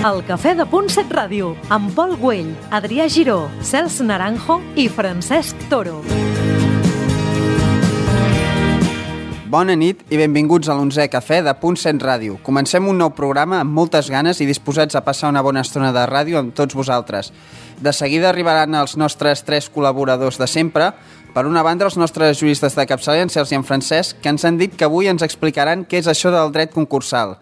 El Cafè de Punt 7 Ràdio, amb Pol Güell, Adrià Giró, Cels Naranjo i Francesc Toro. Bona nit i benvinguts a l'11è Cafè de Punt 7 Ràdio. Comencem un nou programa amb moltes ganes i disposats a passar una bona estona de ràdio amb tots vosaltres. De seguida arribaran els nostres tres col·laboradors de sempre. Per una banda, els nostres juristes de capçalera, en Cels i en Francesc, que ens han dit que avui ens explicaran què és això del dret concursal.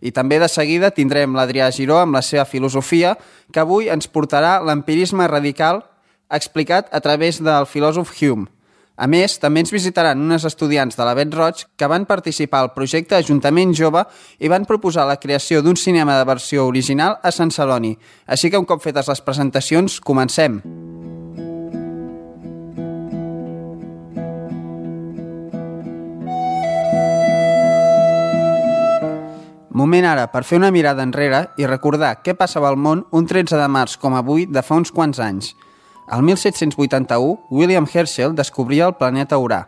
I també de seguida tindrem l'Adrià Giró amb la seva filosofia, que avui ens portarà l'empirisme radical explicat a través del filòsof Hume. A més, també ens visitaran unes estudiants de l'Avet Roig que van participar al projecte Ajuntament Jove i van proposar la creació d'un cinema de versió original a Sant Celoni. Així que un cop fetes les presentacions, comencem. Moment ara per fer una mirada enrere i recordar què passava al món un 13 de març com avui de fa uns quants anys. El 1781, William Herschel descobria el planeta Urà.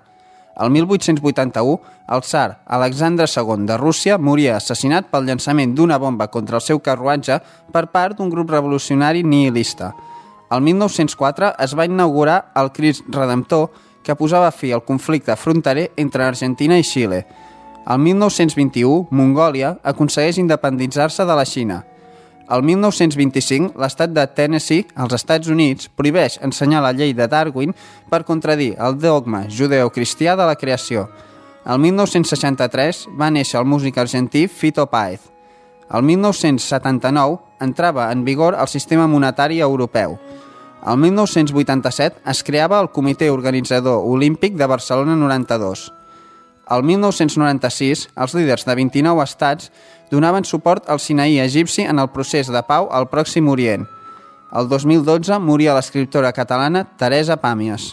El 1881, el tsar Alexandre II de Rússia moria assassinat pel llançament d'una bomba contra el seu carruatge per part d'un grup revolucionari nihilista. El 1904 es va inaugurar el Crist Redemptor, que posava fi al conflicte fronterer entre Argentina i Xile. El 1921, Mongòlia aconsegueix independitzar-se de la Xina. El 1925, l'estat de Tennessee, als Estats Units, prohibeix ensenyar la llei de Darwin per contradir el dogma judeocristià de la creació. El 1963 va néixer el músic argentí Fito Páez. El 1979 entrava en vigor el sistema monetari europeu. El 1987 es creava el Comitè Organitzador Olímpic de Barcelona 92. El 1996, els líders de 29 estats donaven suport al Sinaí egipci en el procés de pau al Pròxim Orient. El 2012 moria l'escriptora catalana Teresa Pàmies.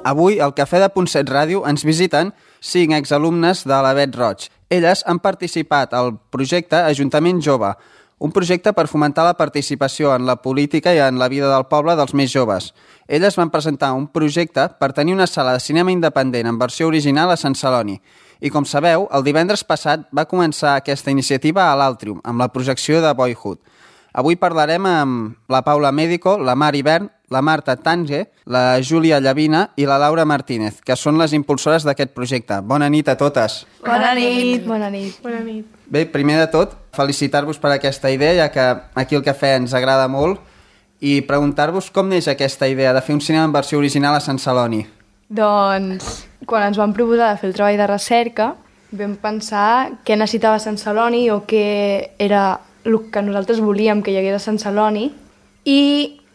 Avui, al Cafè de Punt 7 Ràdio, ens visiten 5 exalumnes de l'Avet Roig. Elles han participat al projecte Ajuntament Jove, un projecte per fomentar la participació en la política i en la vida del poble dels més joves. Elles van presentar un projecte per tenir una sala de cinema independent en versió original a Sant Celoni. I com sabeu, el divendres passat va començar aquesta iniciativa a l'Altrium, amb la projecció de Boyhood. Avui parlarem amb la Paula Médico, la Mar Hivern, la Marta Tange, la Júlia Llavina i la Laura Martínez, que són les impulsores d'aquest projecte. Bona nit a totes. Bona nit. Bona nit. Bona nit. Bé, primer de tot, felicitar-vos per aquesta idea, ja que aquí el cafè ens agrada molt, i preguntar-vos com neix aquesta idea de fer un cinema en versió original a Sant Celoni. Doncs, quan ens vam proposar de fer el treball de recerca, vam pensar què necessitava Sant Celoni o què era el que nosaltres volíem que hi hagués a Sant Celoni, i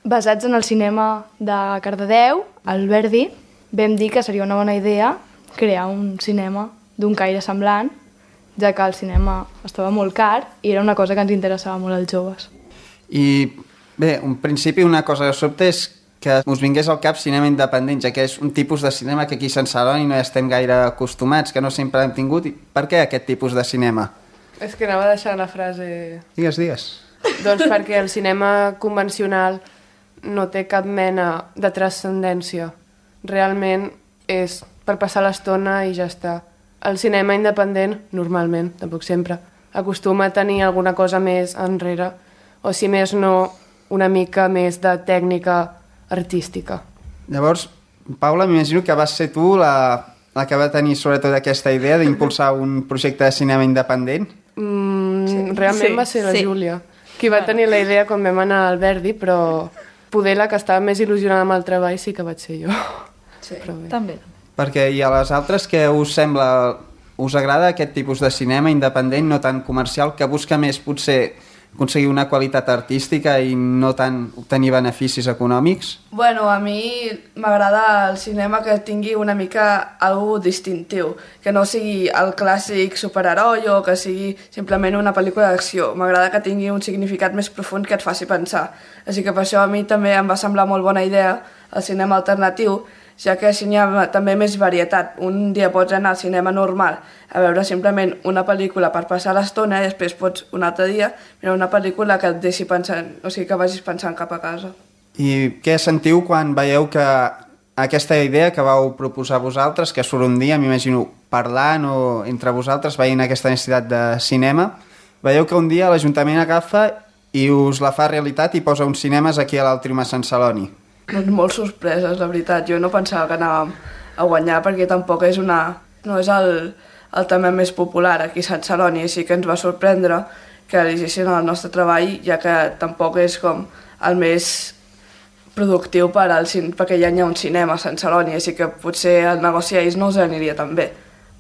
basats en el cinema de Cardedeu, al Verdi, vam dir que seria una bona idea crear un cinema d'un caire semblant, ja que el cinema estava molt car i era una cosa que ens interessava molt als joves. I bé, en principi una cosa que sobte és que us vingués al cap cinema independent, ja que és un tipus de cinema que aquí a Sant Celoni no hi estem gaire acostumats, que no sempre hem tingut. I per què aquest tipus de cinema? És que anava a deixar la frase... Digues. Doncs perquè el cinema convencional no té cap mena de transcendència. Realment és per passar l'estona i ja està. El cinema independent, normalment, tampoc sempre, acostuma a tenir alguna cosa més enrere, o si més no, una mica més de tècnica artística. Llavors, Paula, m'imagino que vas ser tu la que va tenir sobretot aquesta idea d'impulsar un projecte de cinema independent? Realment va ser la Júlia, qui va tenir la idea quan vam anar al Verdi, però poder la que estava més il·lusionada amb el treball sí que vaig ser jo. Sí, també. Perquè i a les altres, què us sembla? Us agrada aquest tipus de cinema independent, no tan comercial, que busca més potser aconseguir una qualitat artística i no tant obtenir beneficis econòmics? Bueno, a mi m'agrada el cinema que tingui una mica algo distintiu, que no sigui el clàssic superheroi o que sigui simplement una pel·lícula d'acció. M'agrada que tingui un significat més profund que et faci pensar. Així que per això a mi també em va semblar molt bona idea el cinema alternatiu, ja que així hi ha també més varietat. Un dia pots anar al cinema normal a veure simplement una pel·lícula per passar l'estona i després pots un altre dia mirar una pel·lícula que et deixi pensant, o sigui que vagis pensant cap a casa. I què sentiu quan veieu que aquesta idea que vau proposar vosaltres, que surt un dia, m'imagino, parlant o entre vosaltres, veient aquesta necessitat de cinema, veieu que un dia l'Ajuntament agafa i us la fa realitat i posa uns cinemes aquí a l'Altrium a Sant Celoni. Doncs molt sorpreses, la veritat. Jo no pensava que anàvem a guanyar perquè tampoc és no és el tema més popular aquí a Sant Celoni, així que ens va sorprendre que elegissin el nostre treball, ja que tampoc és com el més productiu perquè ja hi ha un cinema a Sant Celoni, així que potser el negoci a ells no els aniria tan bé,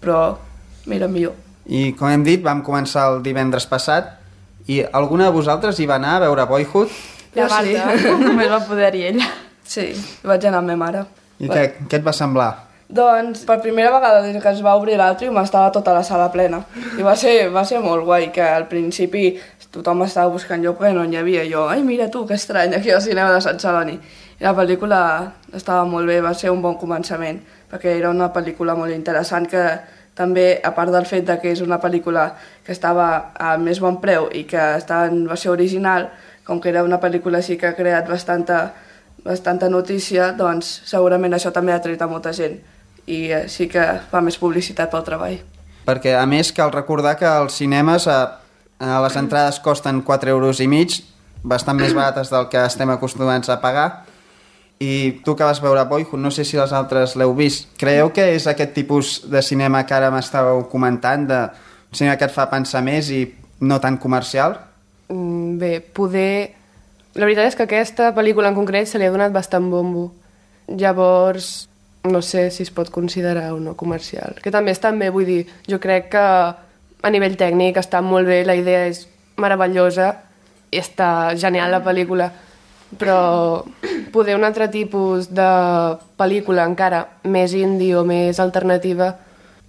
però mira, millor. I com hem dit, vam començar el divendres passat i alguna de vosaltres hi va anar a veure Boyhood? La Marta, només va poder-hi ella. Sí, vaig anar amb ma mare. I què et va semblar? Doncs per primera vegada des que es va obrir l'Atrium estava tota la sala plena i va ser molt guai, que al principi tothom estava buscant lloc perquè no n'hi havia. Jo, ai mira tu, que estrany, aquí al cinema de Sant Celoni. I la pel·lícula estava molt bé, va ser un bon començament, perquè era una pel·lícula molt interessant que també, a part del fet que és una pel·lícula que estava a més bon preu i que estava en versió original, com que era una pel·lícula així que ha creat bastanta notícia, doncs segurament això també ha atret a molta gent i sí que fa més publicitat pel treball. Perquè a més cal recordar que els cinemes les entrades costen 4,5 €, bastant més barates del que estem acostumats a pagar, i tu que vas veure Boyhood, no sé si els altres l'heu vist, creieu que és aquest tipus de cinema que ara m'estàveu comentant, de cinema que et fa pensar més i no tan comercial? Bé, poder... La veritat és que aquesta pel·lícula en concret se li ha donat bastant bombo. Llavors, no sé si es pot considerar o no comercial. Que també està bé, vull dir, jo crec que a nivell tècnic està molt bé, la idea és meravellosa i està genial la pel·lícula, però poder un altre tipus de pel·lícula encara més indie o més alternativa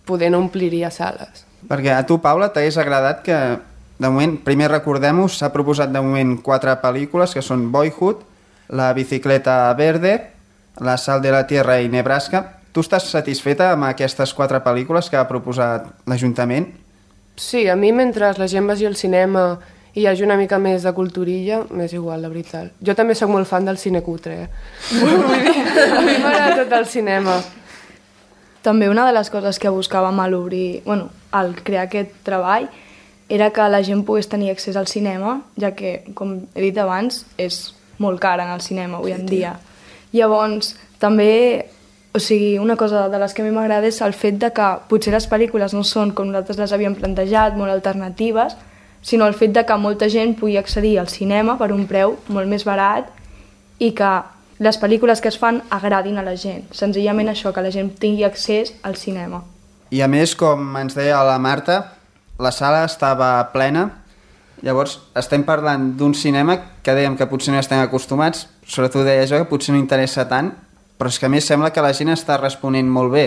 poder no ompliria sales. Perquè a tu, Paula, t'hagués agradat que, de moment, primer recordem-ho, s'ha proposat de moment 4 pel·lícules, que són Boyhood, La bicicleta verde, La sal de la tierra i Nebraska. Tu estàs satisfeta amb aquestes 4 pel·lícules que ha proposat l'Ajuntament? Sí, a mi mentre la gent vagi al cinema i hi hagi una mica més de culturilla, m'és igual, la veritat. Jo també sóc molt fan del cine cutre, Vull dir, a mi m'agrada tot el cinema. També una de les coses que buscàvem al crear aquest treball era que la gent pogués tenir accés al cinema, ja que, com he dit abans, és molt car anar al cinema avui en dia. Llavors, també, una cosa de les que a mi m'agrada és el fet de que potser les pel·lícules no són com nosaltres les havíem plantejat, molt alternatives, sinó el fet de que molta gent pugui accedir al cinema per un preu molt més barat i que les pel·lícules que es fan agradin a la gent. Senzillament això, que la gent tingui accés al cinema. I a més, com ens deia la Marta, la sala estava plena. Llavors, estem parlant d'un cinema que dèiem que potser no estem acostumats, sobretot deia jo que potser no interessa tant, però és que a més sembla que la gent està responent molt bé.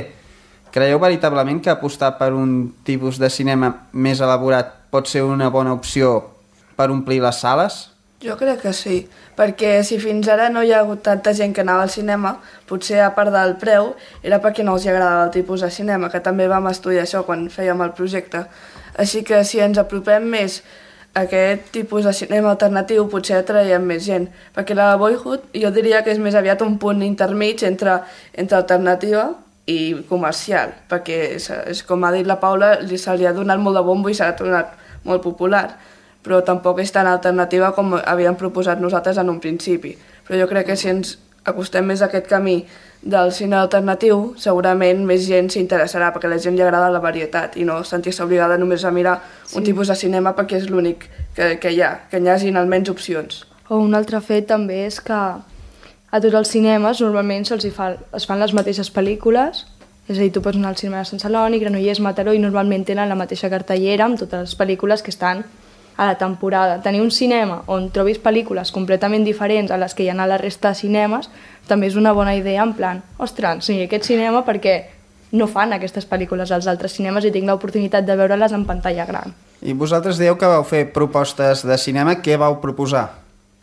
Creieu veritablement que apostar per un tipus de cinema més elaborat pot ser una bona opció per omplir les sales? Jo crec que sí, perquè si fins ara no hi ha hagut tanta gent que anava al cinema, potser a part del preu era perquè no els agradava el tipus de cinema, que també vam estudiar això quan fèiem el projecte. Així que si ens apropem més a aquest tipus de cinema alternatiu potser atraiem més gent, perquè la Boyhood jo diria que és més aviat un punt intermig entre alternativa i comercial, perquè és com ha dit la Paula, se li ha donat molt de bombo i s'ha tornat molt popular, però tampoc és tan alternativa com havíem proposat nosaltres en un principi. Però jo crec que si ens acostem més a aquest camí del cine alternatiu, segurament més gent s'interessarà, perquè a la gent li agrada la varietat i no sentir-se obligada només a mirar un tipus de cinema perquè és l'únic que hi ha, que hi hagin almenys opcions. O un altre fet també és que a tots els cinemes normalment es fan les mateixes pel·lícules, és a dir, tu pots anar al cinema de Sant Celoni, Granollers, Mataró, i normalment tenen la mateixa cartellera amb totes les pel·lícules que estan a la temporada. Tenir un cinema on trobis pel·lícules completament diferents a les que hi ha a la resta de cinemes també és una bona idea, en plan, ostres, sí, aquest cinema perquè no fan aquestes pel·lícules als altres cinemes i tinc l'oportunitat de veure-les en pantalla gran. I vosaltres dieu que vau fer propostes de cinema, què vau proposar?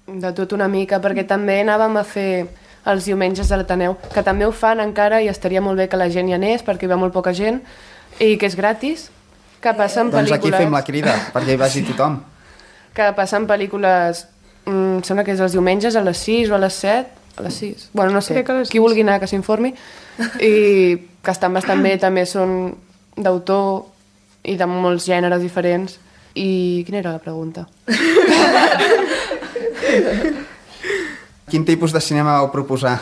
De tot una mica, perquè també anàvem a fer els diumenges de l'Ateneu, que també ho fan encara i estaria molt bé que la gent hi anés perquè hi va molt poca gent i que és gratis, que passen pel·lícules... Doncs aquí fem la crida, perquè hi vagi tothom. Que passen pel·lícules, sembla que és els diumenges a les 6 o a les 7, A les 6. Bueno, no sé, Crec que a les qui vulgui anar que s'informi. I que estan bastant bé, també són d'autor i de molts gèneres diferents. I quina era la pregunta? Quin tipus de cinema vau proposar?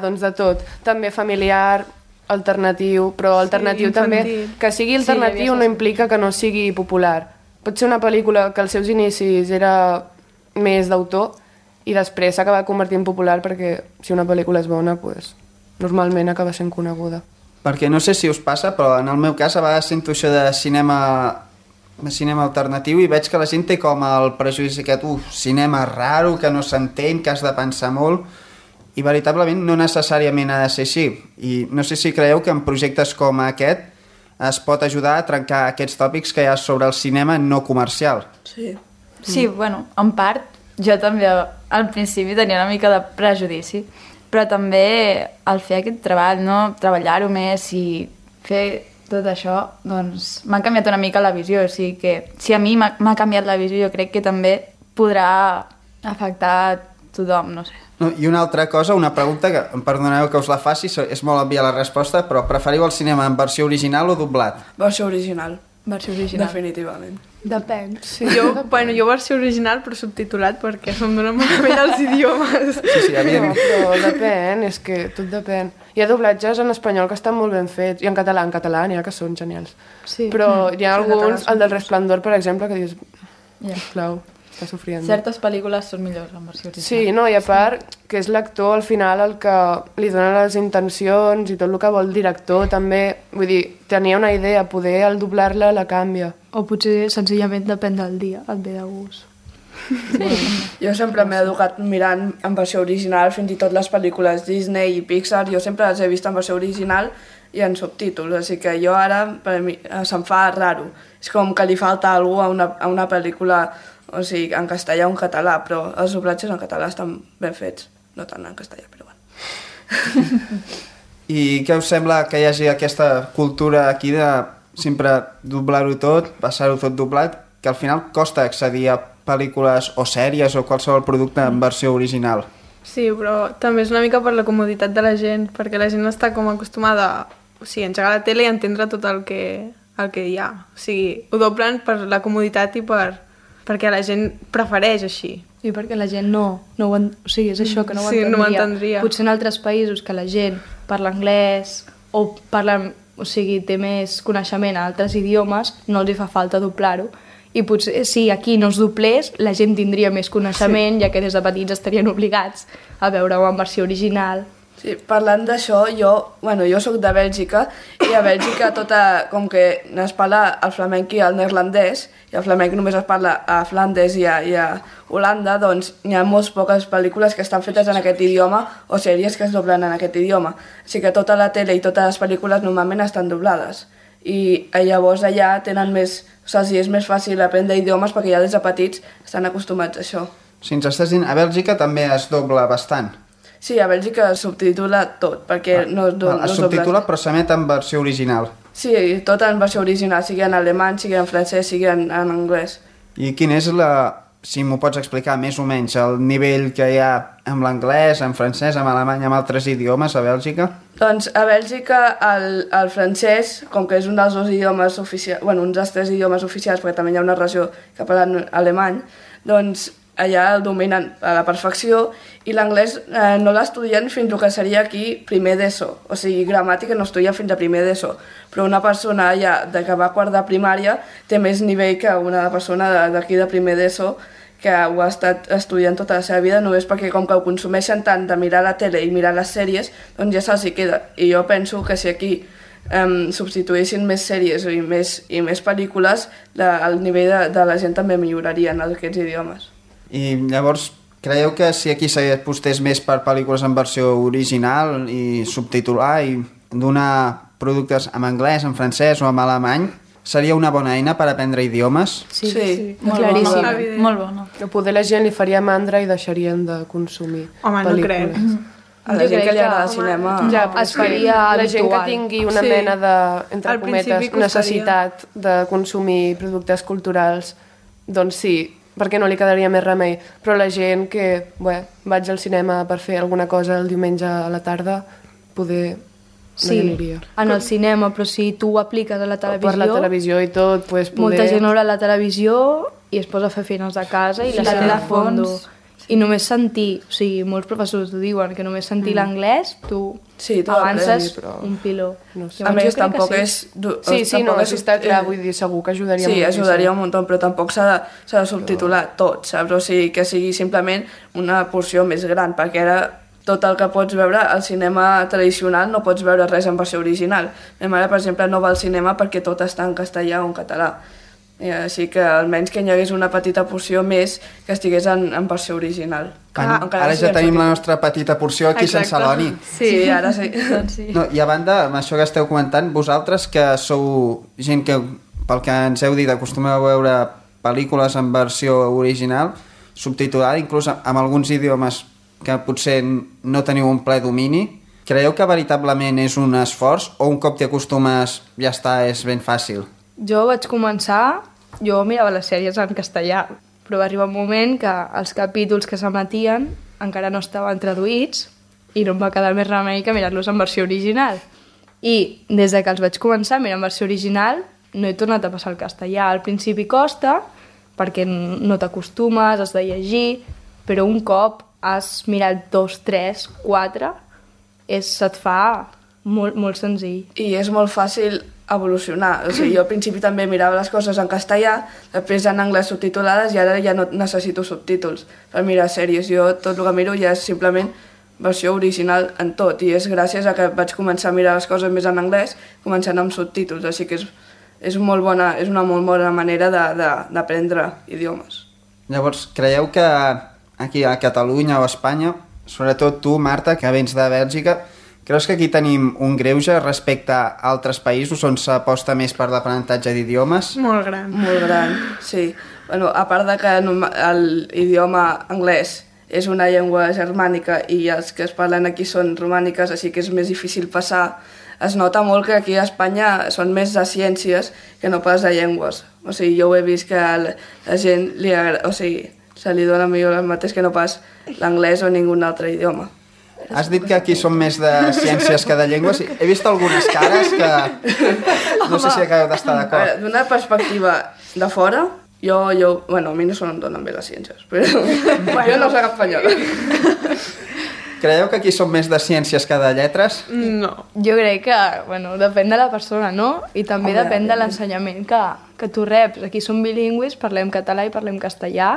Doncs de tot. També familiar, alternatiu, però alternatiu també... Que sigui alternatiu no implica que no sigui popular. Pot ser una pel·lícula que als seus inicis era més d'autor i després s'acaba convertint en popular perquè si una pel·lícula és bona, doncs, normalment acaba sent coneguda. Perquè no sé si us passa, però en el meu cas a vegades sento això de cinema alternatiu i veig que la gent té com el prejudici aquest, cinema raro, que no s'entén, que has de pensar molt, i veritablement no necessàriament ha de ser així. I no sé si creieu que en projectes com aquest es pot ajudar a trencar aquests tòpics que hi ha sobre el cinema no comercial. Sí, bueno, en part, jo també al principi tenia una mica de prejudici, però també al fer aquest treball, no? Treballar-ho més i fer tot això, doncs m'ha canviat una mica la visió, o sigui que si a mi m'ha canviat la visió, jo crec que també podrà afectar tothom, no sé. No, i una altra cosa, una pregunta, que em perdoneu que us la faci, és molt òbvia la resposta, però preferiu el cinema en versió original o doblat? Versió original. Versió original. Definitivament. Depèn. Sí. Jo versió original però subtitulat perquè som d'una manera els idiomes. Sí, evidentment. Però depèn, és que tot depèn. Hi ha doblatges en espanyol que estan molt ben fets, i en català n'hi ha que són genials. Sí. Però hi ha alguns, el del Resplendor, per exemple, que dius, sisplau, està sofrint. Certes pel·lícules són millors en versió original. Sí, no, i a part que és l'actor al final el que li dona les intencions i tot el que vol el director també, vull dir, tenia una idea, poder al doblar-la la canvia. O potser senzillament depèn del dia, et ve de gust. Jo sempre m'he educat mirant en versió original, fins i tot les pel·lícules Disney i Pixar, jo sempre les he vist en versió original i en subtítols, així que jo ara, per mi, se'm fa raro. És com que li falta alguna cosa a una pel·lícula, o sigui, en castellà o en català, però els doblatges en català estan ben fets, no tant en castellà, però bueno. I què us sembla que hi hagi aquesta cultura aquí de sempre doblar-ho tot, passar-ho tot doblat, que al final costa accedir a pel·lícules o sèries o qualsevol producte en versió original? Sí, però també és una mica per la comoditat de la gent, perquè la gent està com acostumada a engegar la tele i entendre tot el que hi ha. O sigui, ho doblen per la comoditat i perquè la gent prefereix així. I perquè la gent no ho o sigui, és això, que no ho entendria. Sí, no ho entendria. Potser en altres països que la gent parla anglès o parla, o sigui, té més coneixement a altres idiomes, no els hi fa falta doblar-ho. I potser si aquí no es doblés, la gent tindria més coneixement, ja que des de petits estarien obligats a veure-ho en versió original. Sí, parlant d'això, jo soc de Bèlgica i a Bèlgica com que es parla el flamenc i el neerlandès i el flamenc només es parla a Flandes i a Holanda, doncs hi ha molt poques pel·lícules que estan fetes en aquest idioma o sèries que es doblen en aquest idioma. Així que tota la tele i totes les pel·lícules normalment estan doblades. I llavors allà tenen més... O sigui, és més fàcil aprendre idiomes perquè ja des de petits estan acostumats a això. Si ens estàs dient, a Bèlgica també es dobla bastant. Sí, a Bèlgica es subtitula tot, perquè no es dobla. Es subtitula però s'emet en versió original. Sí, tot en versió original, sigui en alemany, sigui en francès, sigui en anglès. I quin és si m'ho pots explicar més o menys, el nivell que hi ha amb l'anglès, en francès, en alemany, amb altres idiomes a Bèlgica? Doncs a Bèlgica el francès, com que és un dels dos idiomes oficials, un dels tres idiomes oficials, perquè també hi ha una regió que parla alemany, doncs allà el dominen a la perfecció i l'anglès no l'estudien fins que seria aquí primer d'ESO, o sigui, gramàtica no estudia fins a primer d'ESO, però una persona ja que va a quart de primària té més nivell que una persona d'aquí de primer d'ESO que ho ha estat estudiant tota la seva vida només perquè com que ho consumeixen tant de mirar la tele i mirar les sèries, doncs ja se'ls hi queda. I jo penso que si aquí substituïssin més sèries i més pel·lícules, el nivell de la gent també milloraria en aquests idiomes. I llavors, creieu que si aquí s'apostés més per pel·lícules en versió original i subtitular i donar productes en anglès, en francès o en alemany, seria una bona eina per aprendre idiomes? Sí. Molt bona. Que poder la gent li faria mandra i deixarien de consumir pel·lícules. No crec. A la gent que li agrada el cinema... Ja, es faria la gent que habitual. tingui una mena de, entre Al principi cometes, necessitat de consumir productes culturals, doncs sí, perquè no li quedaria més remei. Però la gent que, vaig al cinema per fer alguna cosa el diumenge a la tarda, poder no hi aniria. En el cinema, però si tu ho apliques a la televisió... Per la televisió i tot, pues, poder... Molta gent haurà la televisió i es posa a fer feines de casa i la tele de fondo. I només sentir, o sigui, molts professors ho diuen, que només sentir l'anglès, tu avances un piló. No sé. A més, tampoc és... Sí, no, això està clar, vull dir, segur que ajudaria molt. Sí, ajudaria un munt, però tampoc s'ha de subtitular tot, saps? O sigui, que sigui simplement una porció més gran, perquè ara tot el que pots veure al cinema tradicional no pots veure res en versió original. Ma mare, per exemple, no va al cinema perquè tot està en castellà o en català. Així que almenys que hi hagués una petita porció més que estigués en versió original. Ara ja tenim la nostra petita porció aquí sense l'Oni. Sí, ara sí. No, i a banda, amb això que esteu comentant, vosaltres que sou gent que, pel que ens heu dit, acostumeu a veure pel·lícules en versió original, subtitulada, inclús amb alguns idiomes que potser no teniu un ple domini, creieu que veritablement és un esforç o un cop t'hi acostumes ja està, és ben fàcil? Jo vaig començar, jo mirava les sèries en castellà, però va arribar un moment que els capítols que s'emetien encara no estaven traduïts i no em va quedar més remei que mirar-los en versió original. I des de que els vaig començar a mirar en versió original no he tornat a passar al castellà. Al principi costa, perquè no t'acostumes, has de llegir, però un cop has mirat 2, 3, 4, se't fa molt, molt senzill. I és molt fàcil evolucionar. O sigui, jo al principi també mirava les coses en castellà, després en anglès subtitulades i ara ja no necessito subtítols per mirar sèries. Jo tot el que miro ja és simplement versió original en tot i és gràcies a que vaig començar a mirar les coses més en anglès, començant amb subtítols. Així que és una molt bona manera d'aprendre idiomes. Llavors, creieu que aquí a Catalunya o a Espanya, sobretot tu, Marta, que vens de Bèlgica, creus que aquí tenim un greuge respecte a altres països on s'aposta més per l'aprenentatge d'idiomes? Molt gran. Molt gran, sí. Bueno, a part de que l'idioma anglès és una llengua germànica i els que es parlen aquí són romàniques, així que és més difícil passar. Es nota molt que aquí a Espanya són més de ciències que no pas de llengües. O sigui, jo ho he vist que a la gent se li dona millor el mateix que no pas l'anglès o ningun altre idioma. Has dit que aquí són més de ciències que de llengües. He vist algunes cares que no sé si acabeu d'estar d'acord. D'una perspectiva de fora, a mi no se em donen bé les ciències, però jo no soc espanyola. Creieu que aquí són més de ciències que de lletres? No. Jo crec que, depèn de la persona, no? I també depèn de l'ensenyament que tu reps. Aquí som bilingües, parlem català i parlem castellà,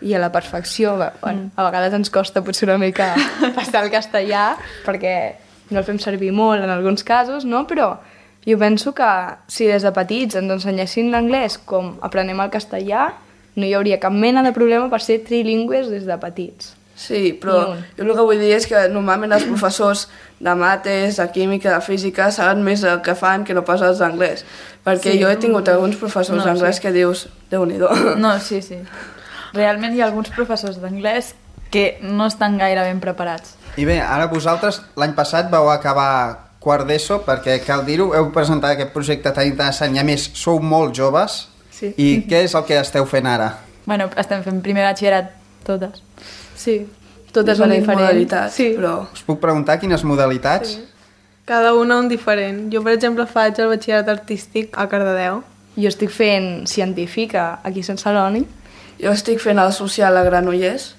i a la perfecció, a vegades ens costa potser una mica passar al castellà perquè no el fem servir molt en alguns casos, no? Però jo penso que si des de petits ens ensenyessin l'anglès com aprenem el castellà, no hi hauria cap mena de problema per ser trilingües des de petits. Sí, però jo el que vull dir és que normalment els professors de mates, de química, de física saben més el que fan que no pas els d'anglès, perquè jo he tingut alguns professors d'anglès que dius, Déu-n'hi-do. No, sí. Realment hi ha alguns professors d'anglès que no estan gaire ben preparats. I bé, ara vosaltres l'any passat vau acabar quart d'ESO, perquè cal dir-ho, heu presentat aquest projecte tan interessant i a més sou molt joves. Sí. I què és el que esteu fent ara? Bueno, estem fent primer batxillerat totes. Sí, totes són diferents. Modalitats, sí. però... Us puc preguntar quines modalitats? Sí. Cada una un diferent. Jo, per exemple, faig el batxillerat artístic a Cardedeu. Jo estic fent científica aquí a Sant Celoni. Jo estic fent el social a Granollers.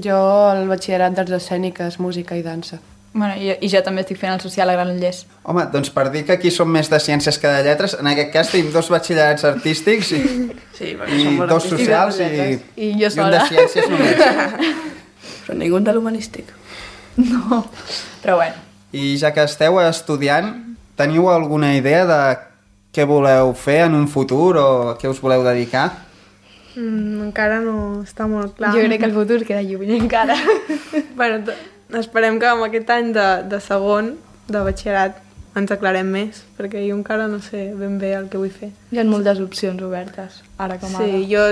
Jo el batxillerat d'arts escèniques, música i dansa. Bueno, i jo també estic fent el social a Granollers. Home, doncs per dir que aquí som més de ciències que de lletres, en aquest cas tenim 2 batxillerats artístics i 2 socials i jo un de sola. ciències només. Però ningú de l'humanístic. No, però bueno. I ja que esteu estudiant, teniu alguna idea de què voleu fer en un futur o a què us voleu dedicar? Encara no està molt clar. Jo crec que el futur queda lluny encara. Bueno, esperem que amb aquest any de segon de batxillerat ens aclarem més, perquè jo encara no sé ben bé el que vull fer. Hi ha moltes opcions obertes, ara com ara. Sí, jo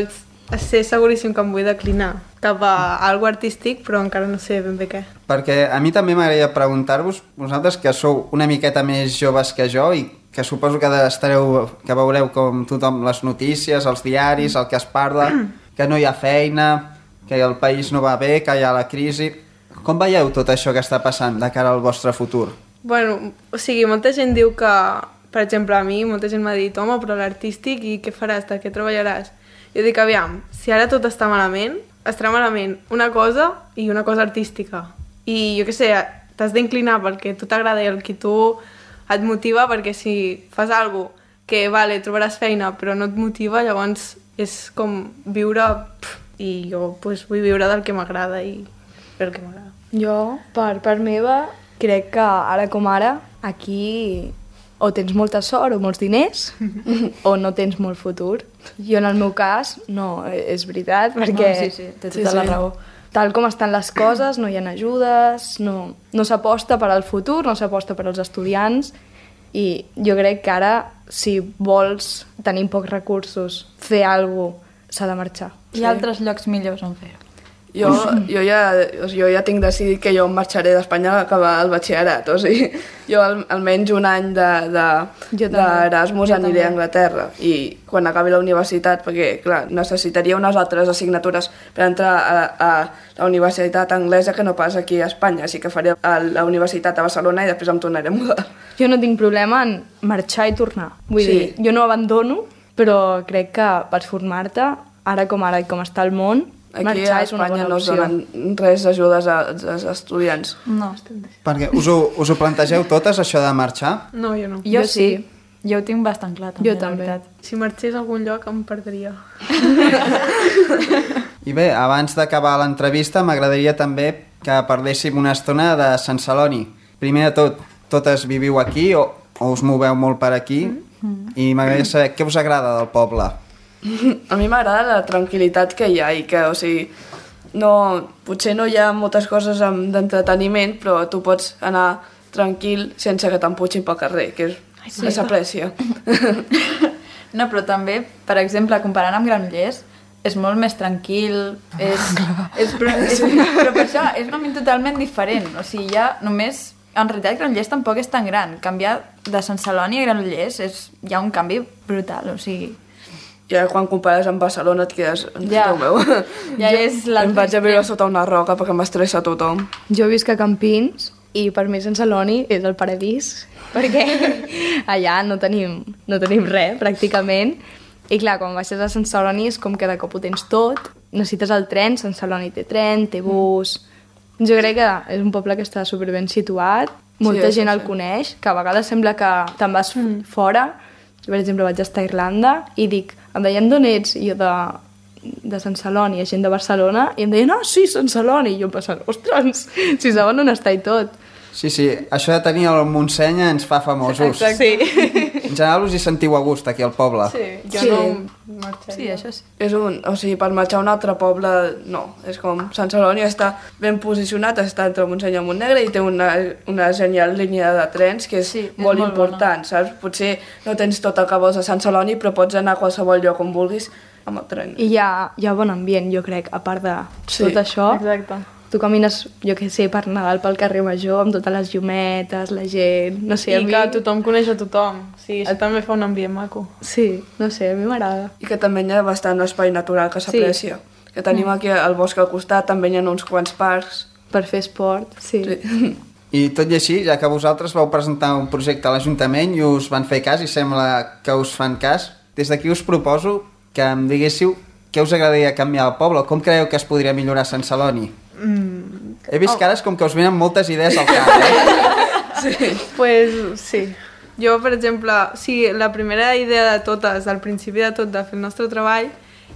sé seguríssim que em vull declinar cap a algo artístic, però encara no sé ben bé què. Perquè a mi també m'agradaria preguntar-vos, vosaltres que sou una miqueta més joves que jo i que suposo que veureu com tothom les notícies, els diaris, el que es parla, que no hi ha feina, que el país no va bé, que hi ha la crisi. Com veieu tot això que està passant de cara al vostre futur? Bueno, o sigui, molta gent diu que, per exemple, a mi, molta gent m'ha dit, home, però l'artístic, i què faràs, de què treballaràs? Jo dic, aviam, si ara tot està malament, estarà malament una cosa i una cosa artística. I jo què sé, t'has d'inclinar pel que tu t'agrada i el que tu et motiva, perquè si fas alguna cosa que, vale, trobaràs feina, però no et motiva, llavors és com viure... I jo pues, vull viure del que m'agrada i fer el que m'agrada. Jo, per part meva, crec que ara com ara, aquí o tens molta sort o molts diners o no tens molt futur. Jo, en el meu cas, no, és veritat, perquè... Sí, té tota la raó. Tal com estan les coses, no hi ha ajudes, no s'aposta per al futur, no s'aposta per als estudiants, i jo crec que ara, si vols tenir pocs recursos, fer alguna cosa, s'ha de marxar. Hi ha altres llocs millors on fer-ho. Jo ja tinc decidit que jo em marxaré d'Espanya a acabar el batxillerat, o sigui, jo almenys un any d'Erasmus aniré a Anglaterra i quan acabi la universitat, perquè clar, necessitaria unes altres assignatures per entrar a la universitat anglesa que no pas aquí a Espanya, així que faré a la universitat a Barcelona i després em tornaré a mudar. Jo no tinc problema en marxar i tornar, vull dir, jo no abandono, però crec que per formar-te, ara com està el món, aquí marxar a és una Espanya bona no es opció. donen res d'ajudes als estudiants. No. Perquè us ho plantegeu totes, això de marxar? No, jo no. Jo sí. Jo ho tinc bastant clar, també, Jo també. la veritat. Si marxés a algun lloc em perdria. I bé, abans d'acabar l'entrevista m'agradaria també que parléssim una estona de Sant Celoni. Primer de tot, totes viviu aquí o us moveu molt per aquí? I m'agradaria saber què us agrada del poble. A mi m'agrada la tranquil·litat que hi ha i que, o sigui, potser no hi ha moltes coses d'entreteniment, però tu pots anar tranquil sense que t'emputxin pel carrer, que s'aprecia. No, però també, per exemple, comparant amb Granollers, és molt més tranquil, però per això és un ambient totalment diferent, o sigui, ja només... En realitat, Granollers tampoc és tan gran. Canviar de Sant Celoni a Granollers hi ha un canvi brutal, o sigui... Ja quan compares amb Barcelona et quedes... Ja. Déu meu. Ja és Em vaig a viure sota una roca perquè m'estressa tothom. Jo visc a Campins i per mi Sant Celoni és el paradís, perquè allà no tenim res, pràcticament. I clar, quan baixes a Sant Celoni és com que de cop ho tens tot, necessites el tren, Sant Celoni té tren, té bus... Jo crec que és un poble que està superben situat, molta gent el coneix, que a vegades sembla que te'n vas fora. Jo, per exemple, vaig estar a Irlanda i dic, em deien d'on ets? I jo de Sant Celoni, gent de Barcelona, i em deien, sí, Sant Celoni. I jo em pensava, ostres, si saben on està i tot. Sí, això de tenir el Montseny ens fa famosos. Exacte. Sí. En general us hi sentiu a gust aquí al poble. Jo no marxaria. Sí, això sí. O sigui, per marxar a un altre poble, no. És com Sant Celoni està ben posicionat, està entre Montseny i Montnegre i té una genial línia de trens que és molt important, saps? Potser no tens tot el que vols a Sant Celoni, però pots anar a qualsevol lloc on vulguis amb el tren. I hi ha bon ambient, jo crec, a part de tot això. Exacte. Tu camines, jo què sé, per Nadal pel carrer Major, amb totes les llumetes, la gent... No sé, I que tothom coneix a tothom. Sí, això també fa un ambient maco. Sí, no sé, a mi m'agrada. I que també hi ha bastant espai natural que s'aprecia. Que tenim aquí el bosc al costat, també hi ha uns quants parcs. Per fer esport, sí. I tot i així, ja que vosaltres vau presentar un projecte a l'Ajuntament i us van fer cas i sembla que us fan cas, des d'aquí us proposo que em diguéssiu què us agradaria canviar al poble, com creieu que es podria millorar Sant Celoni? He vist cares com que us venen moltes idees al cap, Pues sí. Jo, per exemple, la primera idea de totes, al principi de tot, de fer el nostre treball,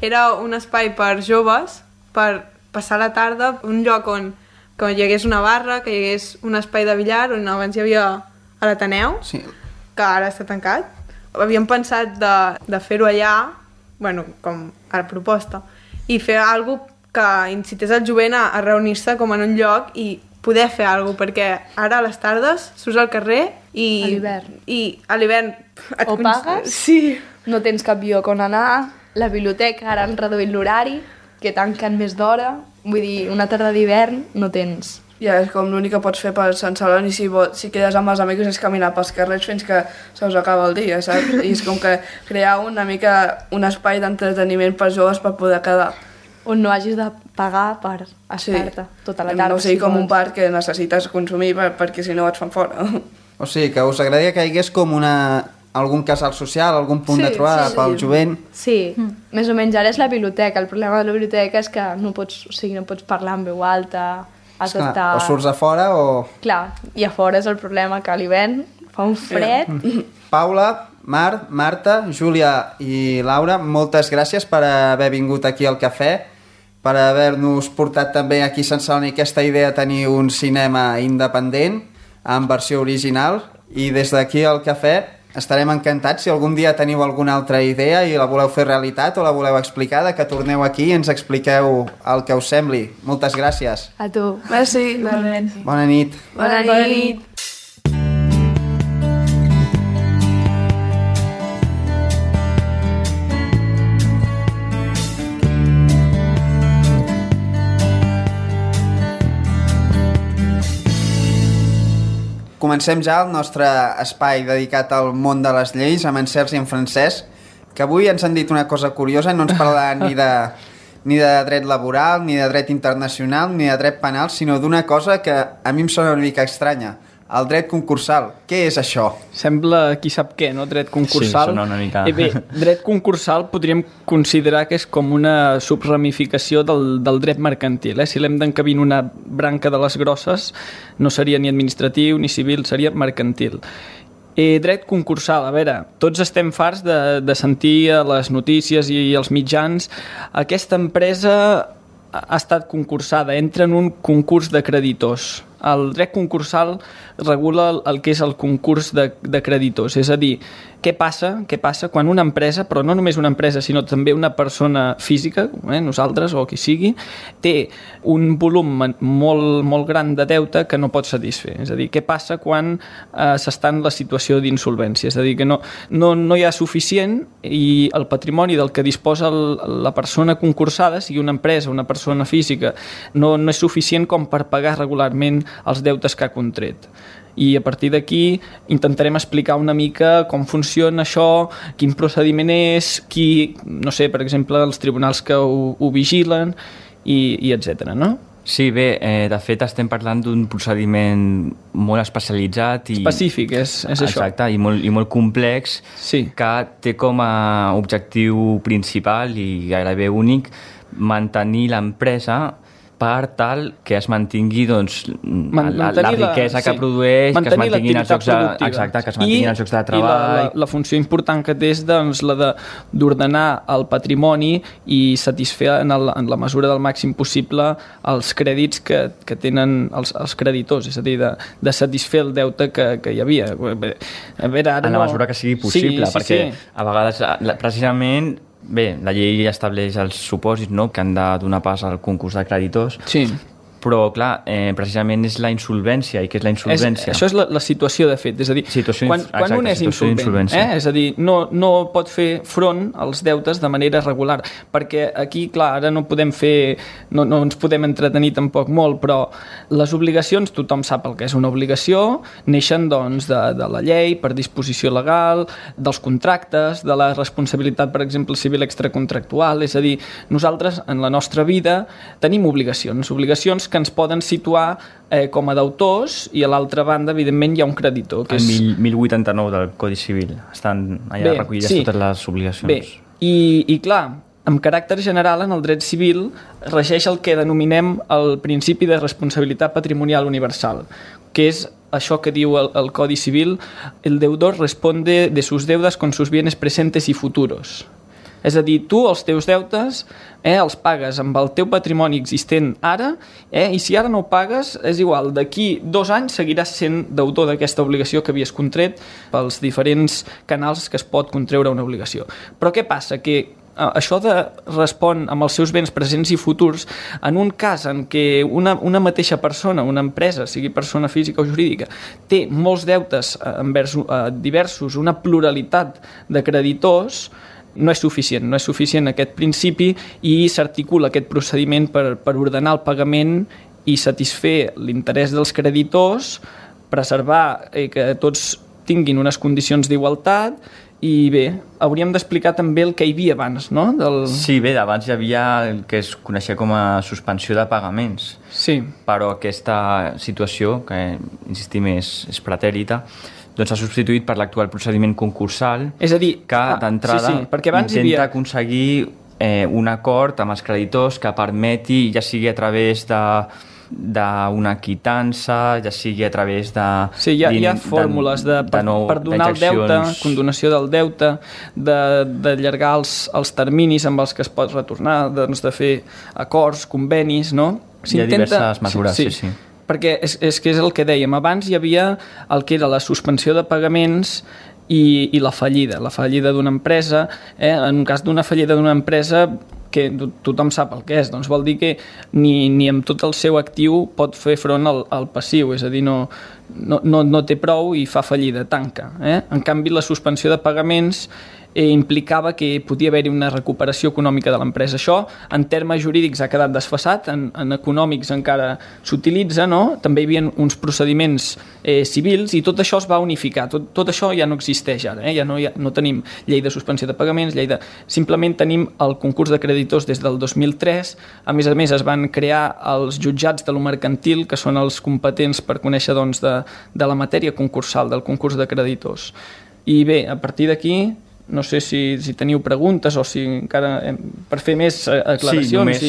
era un espai per joves, per passar la tarda, un lloc on hi hagués una barra, que hi hagués un espai de billar, on abans hi havia a l'Ateneu, que ara està tancat. Havíem pensat de fer-ho allà, bueno, com a la proposta, i fer alguna cosa que incités el jovent a reunir-se com en un lloc i poder fer alguna cosa, perquè ara a les tardes surts al carrer i... A l'hivern. I a l'hivern... O pagues, sí. No tens cap lloc on anar, la biblioteca ara han reduït l'horari, que tanquen més d'hora, vull dir, una tarda d'hivern no tens... Ja, és com l'únic que pots fer per Sant Celoni si quedes amb els amics és caminar pels carrers fins que se us acaba el dia, saps? I és com que crear una mica un espai d'entreteniment per joves per poder quedar. on no hagis de pagar per estar-te tota la tarda. No sigui com un parc que necessites consumir perquè si no et fan fora. O sigui, que us agradaria que hi hagués com algun casal social, algun punt de trobada pel jovent. Sí, més o menys ara és la biblioteca. El problema de la biblioteca és que no pots parlar en veu alta, has d'estar... O surts a fora o... Clar, i a fora és el problema, que a l'hivern fa un fred. Paula, Marta, Júlia i Laura, moltes gràcies per haver vingut aquí al cafè, per haver-nos portat també aquí a Sant Celoni aquesta idea de tenir un cinema independent en versió original, i des d'aquí al cafè estarem encantats si algun dia teniu alguna altra idea i la voleu fer realitat o la voleu explicar, que torneu aquí i ens expliqueu el que us sembli. Moltes gràcies. A tu. Merci. Bona nit. Bona nit. Comencem ja el nostre espai dedicat al món de les lleis amb en Sergi i en Francesc, que avui ens han dit una cosa curiosa, no ens parlaran ni de dret laboral, ni de dret internacional, ni de dret penal, sinó d'una cosa que a mi em sona una mica estranya, el dret concursal. Què és això? Sembla qui sap què, no? Dret concursal. Sí, sona una mica... Bé, dret concursal podríem considerar que és com una subramificació del dret mercantil. Si l'hem d'encabir en una branca de les grosses, no seria ni administratiu ni civil, seria mercantil. Dret concursal, a veure, tots estem farts de sentir a les notícies i als mitjans aquesta empresa ha estat concursada, entra en un concurs de creditors. El dret concursal regula el que és el concurs de creditors, és a dir, què passa quan una empresa, però no només una empresa, sinó també una persona física, nosaltres o qui sigui, té un volum molt, molt gran de deute que no pot satisfer. És a dir, què passa quan s'està en la situació d'insolvència? És a dir, que no hi ha suficient i el patrimoni del que disposa la persona concursada, sigui una empresa, una persona física, no és suficient com per pagar regularment els deutes que ha contret. I a partir d'aquí intentarem explicar una mica com funciona això, quin procediment és, no sé, per exemple, els tribunals que ho vigilen i etc. no? Sí, bé, de fet estem parlant d'un procediment molt especialitzat i... Específic, és això. Exacte, i molt complex, sí. Que té com a objectiu principal i gairebé únic mantenir l'empresa per tal que es mantingui doncs, la riquesa que produeix, que es mantinguin els llocs de treball. I la funció important que té és doncs, la d'ordenar el patrimoni i satisfer en la mesura del màxim possible els crèdits que tenen els creditors, és a dir, de satisfer el deute que hi havia. A veure, ara en la mesura que sigui possible, perquè a vegades precisament... Bé, la llei estableix els supòsits, no?, que han de donar pas al concurs de creditors. Sí. Però, clar, precisament és la insolvència. I què és la insolvència? Això és la situació, de fet. És a dir, quan un és insolvent, és a dir, no pot fer front als deutes de manera regular. Perquè aquí, clar, ara no podem fer... No ens podem entretenir tampoc molt, però les obligacions, tothom sap el que és una obligació, neixen, doncs, de la llei, per disposició legal, dels contractes, de la responsabilitat, per exemple, civil extracontractual. És a dir, nosaltres, en la nostra vida, tenim obligacions que ens poden situar com a deutors i a l'altra banda, evidentment, hi ha un creditor. Que és... El 1089 del Codi Civil. Estan allà recollides totes les obligacions. Bé, i clar, amb caràcter general, en el dret civil regeix el que denominem el principi de responsabilitat patrimonial universal, que és això que diu el Codi Civil: el deudor responde de sus deudas con sus bienes presentes y futuros. És a dir, tu els teus deutes els pagues amb el teu patrimoni existent ara, i si ara no ho pagues, és igual, d'aquí 2 anys seguiràs sent deutor d'aquesta obligació que havies contret pels diferents canals que es pot contreure una obligació. Però què passa? Que això respon amb els seus béns presents i futurs en un cas en què una mateixa persona, una empresa, sigui persona física o jurídica, té molts deutes envers diversos, una pluralitat de creditors. No és suficient aquest principi i s'articula aquest procediment per ordenar el pagament i satisfer l'interès dels creditors, preservar que tots tinguin unes condicions d'igualtat I bé, hauríem d'explicar també el que hi havia abans, no? Sí, bé, abans hi havia el que es coneixia com a suspensió de pagaments. Sí. Però aquesta situació, que insistim és pretèrita, doncs s'ha substituït per l'actual procediment concursal, és a dir, que d'entrada intenta aconseguir un acord amb els creditors que permeti, ja sigui a través d'una quitança, ja sigui a través de... Sí, hi ha fórmules per donar el deute, condonació del deute, d'allargar els terminis amb els que es pot retornar, doncs de fer acords, convenis, no? Hi ha diverses mesures, sí. Perquè és que és el que dèiem, abans hi havia el que era la suspensió de pagaments i la fallida d'una empresa. En un cas d'una fallida d'una empresa, que tothom sap el que és, doncs vol dir que ni amb tot el seu actiu pot fer front al passiu, és a dir, no té prou i fa fallida, tanca. En canvi, la suspensió de pagaments implicava que podia haver-hi una recuperació econòmica de l'empresa. Això, en termes jurídics, ha quedat desfasat, en econòmics encara s'utilitza, no? També hi havia uns procediments civils i tot això es va unificar. Tot això ja no existeix ara, ja no tenim llei de suspensió de pagaments, simplement tenim el concurs de creditors des del 2003. A més es van crear els jutjats de lo mercantil, que són els competents per conèixer doncs, de la matèria concursal, del concurs de creditors. I bé, a partir d'aquí, no sé si teniu preguntes o si encara per fer més aclaracions.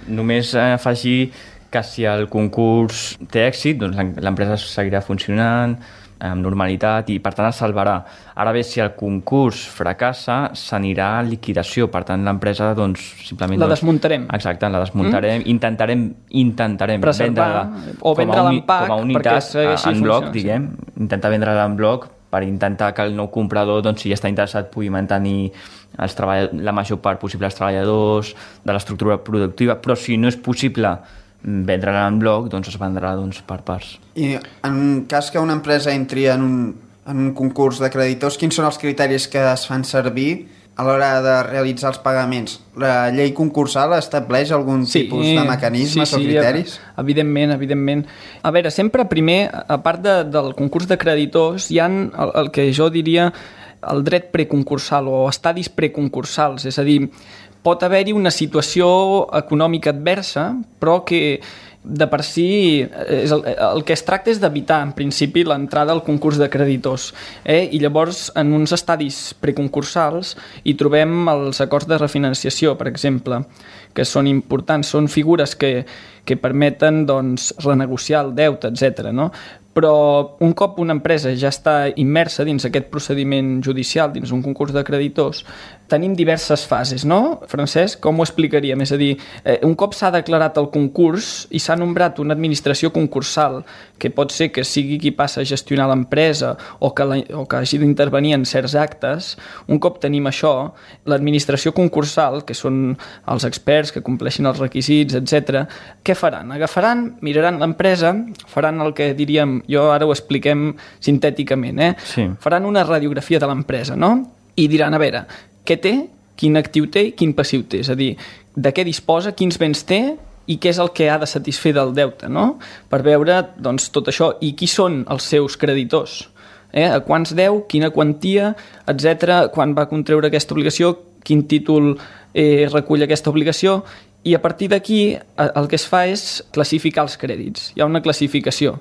Només afegir que si el concurs té èxit, doncs l'empresa seguirà funcionant amb normalitat i per tant es salvarà. Ara bé, si el concurs fracassa, s'anirà a liquidació, per tant l'empresa doncs simplement... La desmuntarem. Exacte, la desmuntarem, intentarem preservar o vendre-la en pack com a unitat en bloc, diguem, intentar vendre-la en bloc per intentar que el nou comprador, doncs, si ja està interessat, pugui mantenir la major part possible dels treballadors, de l'estructura productiva, però si no és possible vendre-la en bloc, doncs es vendrà per parts. I en cas que una empresa entri en un concurs de creditors, quins són els criteris que es fan servir a l'hora de realitzar els pagaments? La llei concursal estableix algun tipus de mecanismes o criteris? Evidentment. A veure, sempre primer, a part del concurs de creditors, hi ha el que jo diria el dret preconcursal o estadis preconcursals, és a dir, pot haver-hi una situació econòmica adversa, però que de per si el que es tracta és d'evitar en principi l'entrada al concurs de creditors, i llavors en uns estadis preconcursals hi trobem els acords de refinanciació, per exemple, que són importants, són figures que permeten doncs, renegociar el deute, etc. No? Però un cop una empresa ja està immersa dins aquest procediment judicial, dins un concurs de creditors, tenim diverses fases, no? Francesc, com ho explicaríem? És a dir, un cop s'ha declarat el concurs i s'ha nombrat una administració concursal, que pot ser que sigui qui passa a gestionar l'empresa o que hagi d'intervenir en certs actes, un cop tenim això, l'administració concursal, que són els experts que compleixin els requisits, etc., què faran? Miraran l'empresa, faran el que diríem, jo ara ho expliquem sintèticament, Sí. Faran una radiografia de l'empresa, no? I diran, a veure, què té, quin actiu té i quin passiu té, és a dir, de què disposa, quins béns té i què és el que ha de satisfer del deute, no? Per veure doncs, tot això i qui són els seus creditors, a quants deu, quina quantia, etc., quan va contreure aquesta obligació, quin títol recull aquesta obligació, i a partir d'aquí el que es fa és classificar els crèdits. Hi ha una classificació.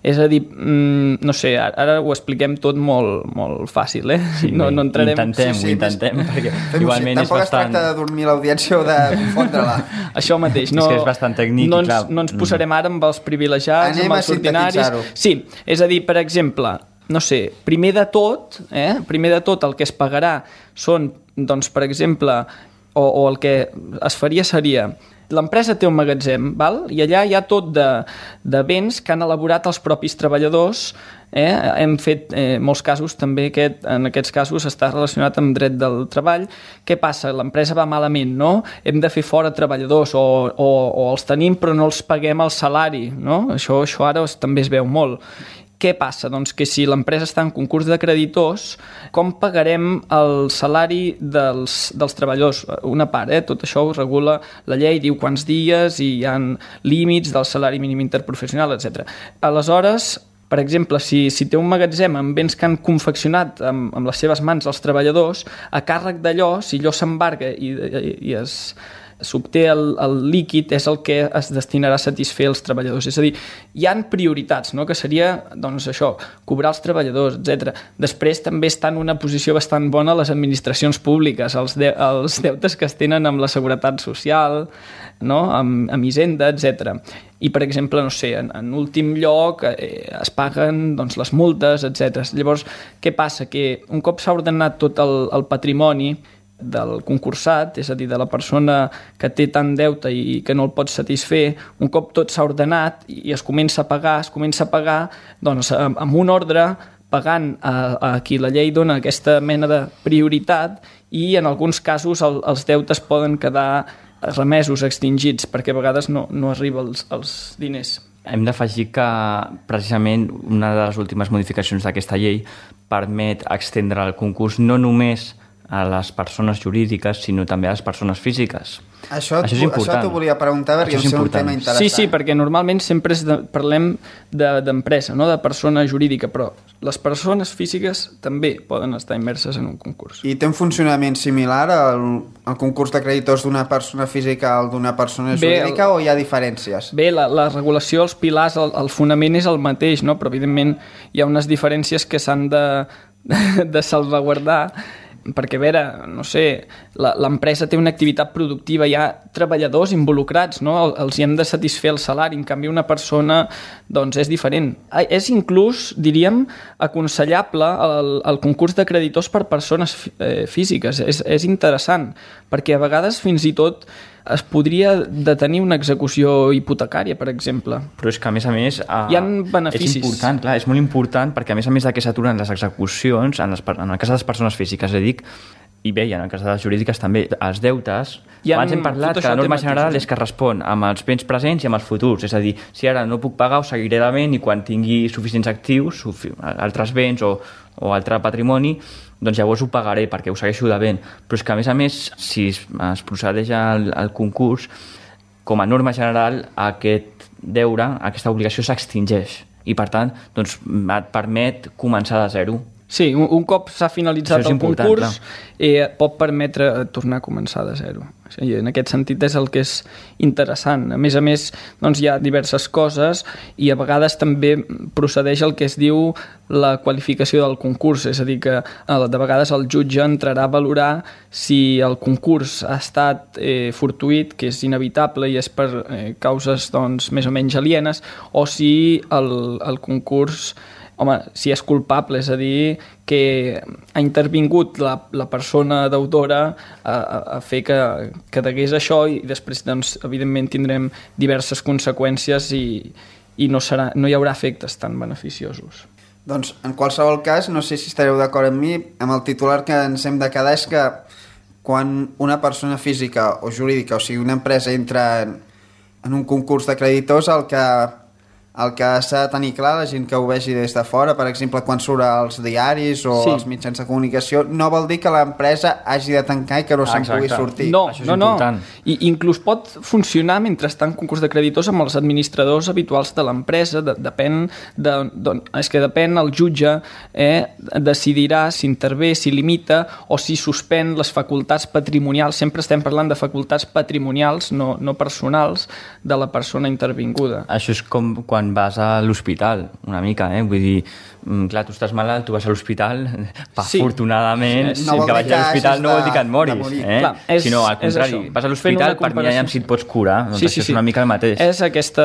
És a dir, no sé, ara ho expliquem tot molt, molt fàcil, Sí, no entrarem... Intentem, perquè igualment és bastant... Tampoc es tracta de dormir l'audiència o de confondre-la. Això mateix, és que és bastant tècnic, clar. No ens posarem ara amb els privilegiats, amb els ordinaris... Sí, és a dir, per exemple, no sé, primer de tot el que es pagarà són, doncs, per exemple, o el que es faria seria... L'empresa té un magatzem, val? I allà hi ha tot de béns que han elaborat els propis treballadors. Hem fet molts casos, també en aquests casos està relacionat amb dret del treball. Què passa? L'empresa va malament, no? Hem de fer fora treballadors o els tenim però no els paguem el salari, no? Això ara també es veu molt. Què passa? Doncs que si l'empresa està en concurs de creditors, com pagarem el salari dels treballadors? Una part, tot això ho regula la llei, diu quants dies i hi ha límits del salari mínim interprofessional, etc. Aleshores, Per exemple, si té un magatzem amb béns que han confeccionat amb les seves mans els treballadors, a càrrec d'allò, si allò s'embarga i s'obté el líquid, és el que es destinarà a satisfer els treballadors. És a dir, hi han prioritats, no? Que seria, doncs, això, cobrar els treballadors, etc. Després també està en una posició bastant bona les administracions públiques, els deutes que es tenen amb la seguretat social, no? amb Hisenda, etc. I, per exemple, no sé, en últim lloc es paguen, doncs, les multes, etc. Llavors, què passa? Que un cop s'ha ordenat tot el patrimoni del concursat, és a dir, de la persona que té tant deute i que no el pot satisfer, un cop tot s'ha ordenat i es comença a pagar, doncs, amb un ordre, pagant a qui la llei dona aquesta mena de prioritat, i en alguns casos els deutes poden quedar remesos, extingits, perquè a vegades no arriba els diners. Hem d'afegir que precisament una de les últimes modificacions d'aquesta llei permet extendre el concurs no només a les persones jurídiques, sinó també a les persones físiques. Això t'ho volia preguntar perquè és un tema interessant. Sí, perquè normalment sempre parlem d'empresa, no de persona jurídica, però les persones físiques també poden estar immerses en un concurs. I té un funcionament similar al concurs de creditors d'una persona física al d'una persona jurídica, o hi ha diferències? Bé, la regulació, els pilars, el fonament és el mateix, no? Però evidentment hi ha unes diferències que s'han de salvaguardar, perquè, a veure, no sé, l'empresa té una activitat productiva, hi ha treballadors involucrats, no? Els hi hem de satisfer el salari, en canvi una persona, doncs, és diferent. És inclús, diríem, aconsellable el concurs de creditors per persones físiques. És interessant, perquè a vegades fins i tot es podria detenir una execució hipotecària, per exemple. Però és que, a més, hi ha beneficis. És important, clar, és molt important, perquè a més de que s'aturen les execucions, en el cas de les persones físiques, i bé, i en el cas de les jurídiques també, els deutes, abans hem parlat que la norma general és que respon amb els béns presents i amb els futurs, és a dir, si ara no puc pagar ho seguiré devent, i quan tingui suficients actius, altres béns o altre patrimoni, doncs llavors ho pagaré perquè ho segueixo devent. Però és que, a més, si es procedeix al concurs, com a norma general, aquest deure, aquesta obligació s'extingeix, i per tant doncs, et permet començar de zero. Sí, un cop s'ha finalitzat el concurs, pot permetre tornar a començar de zero. I en aquest sentit és el que és interessant. A més, doncs, hi ha diverses coses, i a vegades també procedeix el que es diu la qualificació del concurs, és a dir, que de vegades el jutge entrarà a valorar si el concurs ha estat fortuït, que és inevitable i és per causes, doncs, més o menys alienes, o si el concurs, home, si és culpable, és a dir, que ha intervingut la persona deutora a fer que degués això, i després, doncs, evidentment tindrem diverses conseqüències i no hi haurà efectes tan beneficiosos. Doncs, en qualsevol cas, no sé si estareu d'acord amb mi, amb el titular que ens hem de quedar és que quan una persona física o jurídica, o sigui, una empresa entra en un concurs de creditors, el que s'ha de tenir clar, la gent que ho vegi des de fora, per exemple, quan surt als diaris o als mitjans de comunicació, no vol dir que l'empresa hagi de tancar i que no se'n pugui sortir. No. I inclús pot funcionar mentre està en concurs de creditors amb els administradors habituals de l'empresa. Depèn, el jutge decidirà si intervé, si limita o si suspèn les facultats patrimonials. Sempre estem parlant de facultats patrimonials, no personals, de la persona intervinguda. Això és com quan vas a l'hospital, una mica, vull dir, clar, tu estàs malalt, tu vas a l'hospital, afortunadament, que vagis a l'hospital no vol dir que et moris, sinó al contrari, vas a l'hospital per mirar si et pots curar, doncs això és una mica el mateix. És aquesta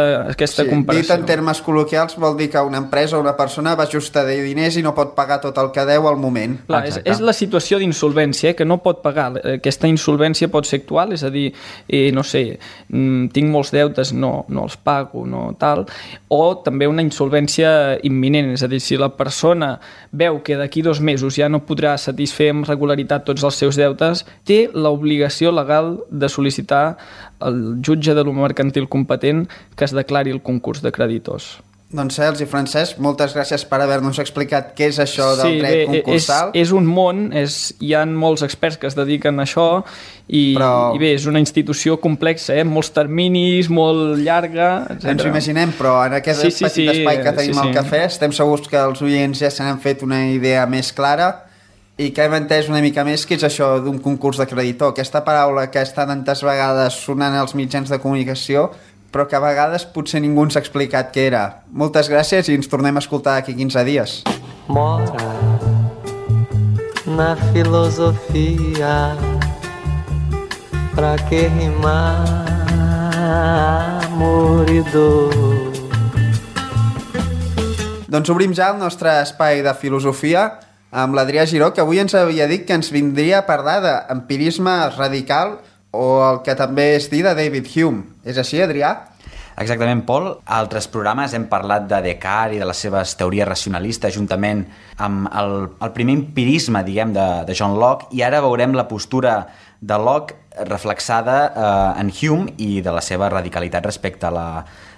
comparació. Dit en termes col·loquials vol dir que una empresa o una persona va just a dir diners i no pot pagar tot el que deu al moment. Clar, és la situació d'insolvència, que no pot pagar. Aquesta insolvència pot ser actual, és a dir, no sé, tinc molts deutes, no els pago, no tal, o també una insolvència imminent, és a dir, si la persona veu que d'aquí 2 mesos ja no podrà satisfer amb regularitat tots els seus deutes, té l'obligació legal de sol·licitar al jutge de lo mercantil competent que es declari el concurs de creditors. Doncs Cels i Francesc, moltes gràcies per haver-nos explicat què és això del dret concursal. És un món, hi ha molts experts que es dediquen a això i bé, és una institució complexa, molts terminis, molt llarga, etc. Ens ho imaginem, però en aquest petit espai que tenim al cafè estem segurs que els oients ja se n'han fet una idea més clara i que hem entès una mica més què és això d'un concurs de creditor. Aquesta paraula que està tantes vegades sonant als mitjans de comunicació però que a vegades potser ningú ens ha explicat què era. Moltes gràcies i ens tornem a escoltar d'aquí 15 dies. Mora na filosofia, pra que rimar amor i dor. Doncs obrim ja el nostre espai de filosofia amb l'Adrià Giró, que avui ens havia dit que ens vindria a parlar d'empirisme radical o el que també és dir de David Hume. És així, Adrià? Exactament, Pol. A altres programes hem parlat de Descartes i de les seves teories racionalistes juntament amb el primer empirisme, diguem, de John Locke, i ara veurem la postura de Locke reflexada en Hume i de la seva radicalitat respecte a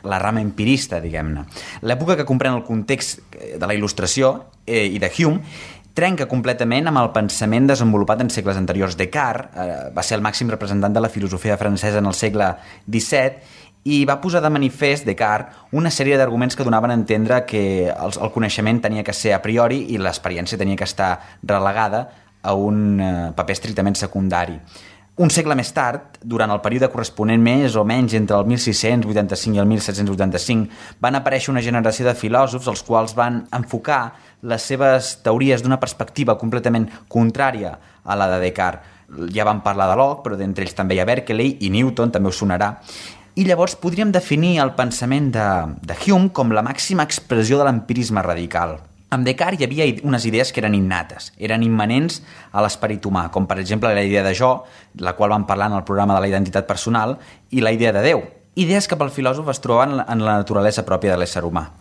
la rama empirista, diguem-ne. L'època que comprèn el context de la Il·lustració i de Hume trenca completament amb el pensament desenvolupat en segles anteriors. Descartes va ser el màxim representant de la filosofia francesa en el segle XVII i va posar de manifest, Descartes, una sèrie d'arguments que donaven a entendre que el coneixement tenia que ser a priori i l'experiència tenia que estar relegada a un paper estrictament secundari. Un segle més tard, durant el període corresponent més o menys entre el 1685 i el 1785, van aparèixer una generació de filòsofs els quals van enfocar les seves teories d'una perspectiva completament contrària a la de Descartes. Ja vam parlar de Locke, però d'entre ells també hi ha Berkeley i Newton, també us sonarà. I llavors podríem definir el pensament de Hume com la màxima expressió de l'empirisme radical. Amb Descartes hi havia unes idees que eren innates, eren immanents a l'esperit humà, com per exemple la idea de jo, la qual vam parlar en el programa de la identitat personal, i la idea de Déu. Idees que pel filòsof es trobaven en la naturalesa pròpia de l'ésser humà.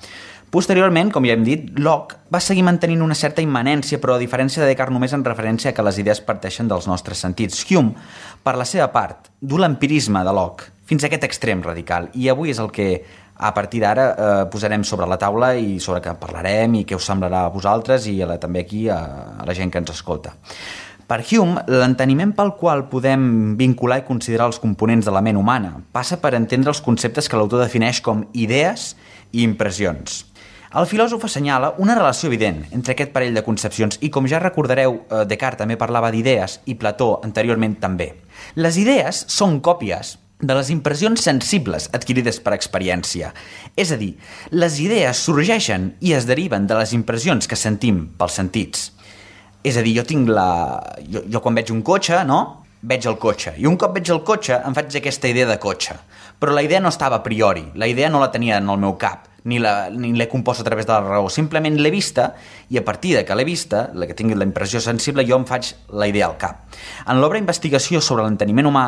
Posteriorment, com ja hem dit, Locke va seguir mantenint una certa immanència, però a diferència de Descartes només en referència a que les idees parteixen dels nostres sentits. Hume, per la seva part, du l'empirisme de Locke fins a aquest extrem radical, i avui és el que a partir d'ara posarem sobre la taula i sobre què parlarem i què us semblarà a vosaltres i també aquí a la gent que ens escolta. Per Hume, l'enteniment pel qual podem vincular i considerar els components de la ment humana passa per entendre els conceptes que l'autor defineix com idees i impressions. El filòsof assenyala una relació evident entre aquest parell de concepcions i, com ja recordareu, Descartes també parlava d'idees i Plató anteriorment també. Les idees són còpies de les impressions sensibles adquirides per experiència. És a dir, les idees sorgeixen i es deriven de les impressions que sentim pels sentits. És a dir, jo quan veig un cotxe, no? Veig el cotxe. I un cop veig el cotxe em faig aquesta idea de cotxe. Però la idea no estava a priori, la idea no la tenia en el meu cap, ni l'he compost a través de la raó, simplement l'he vista i a partir de que l'he vista, la que tingui la impressió sensible, jo em faig la idea al cap. En l'obra Investigació sobre l'enteniment humà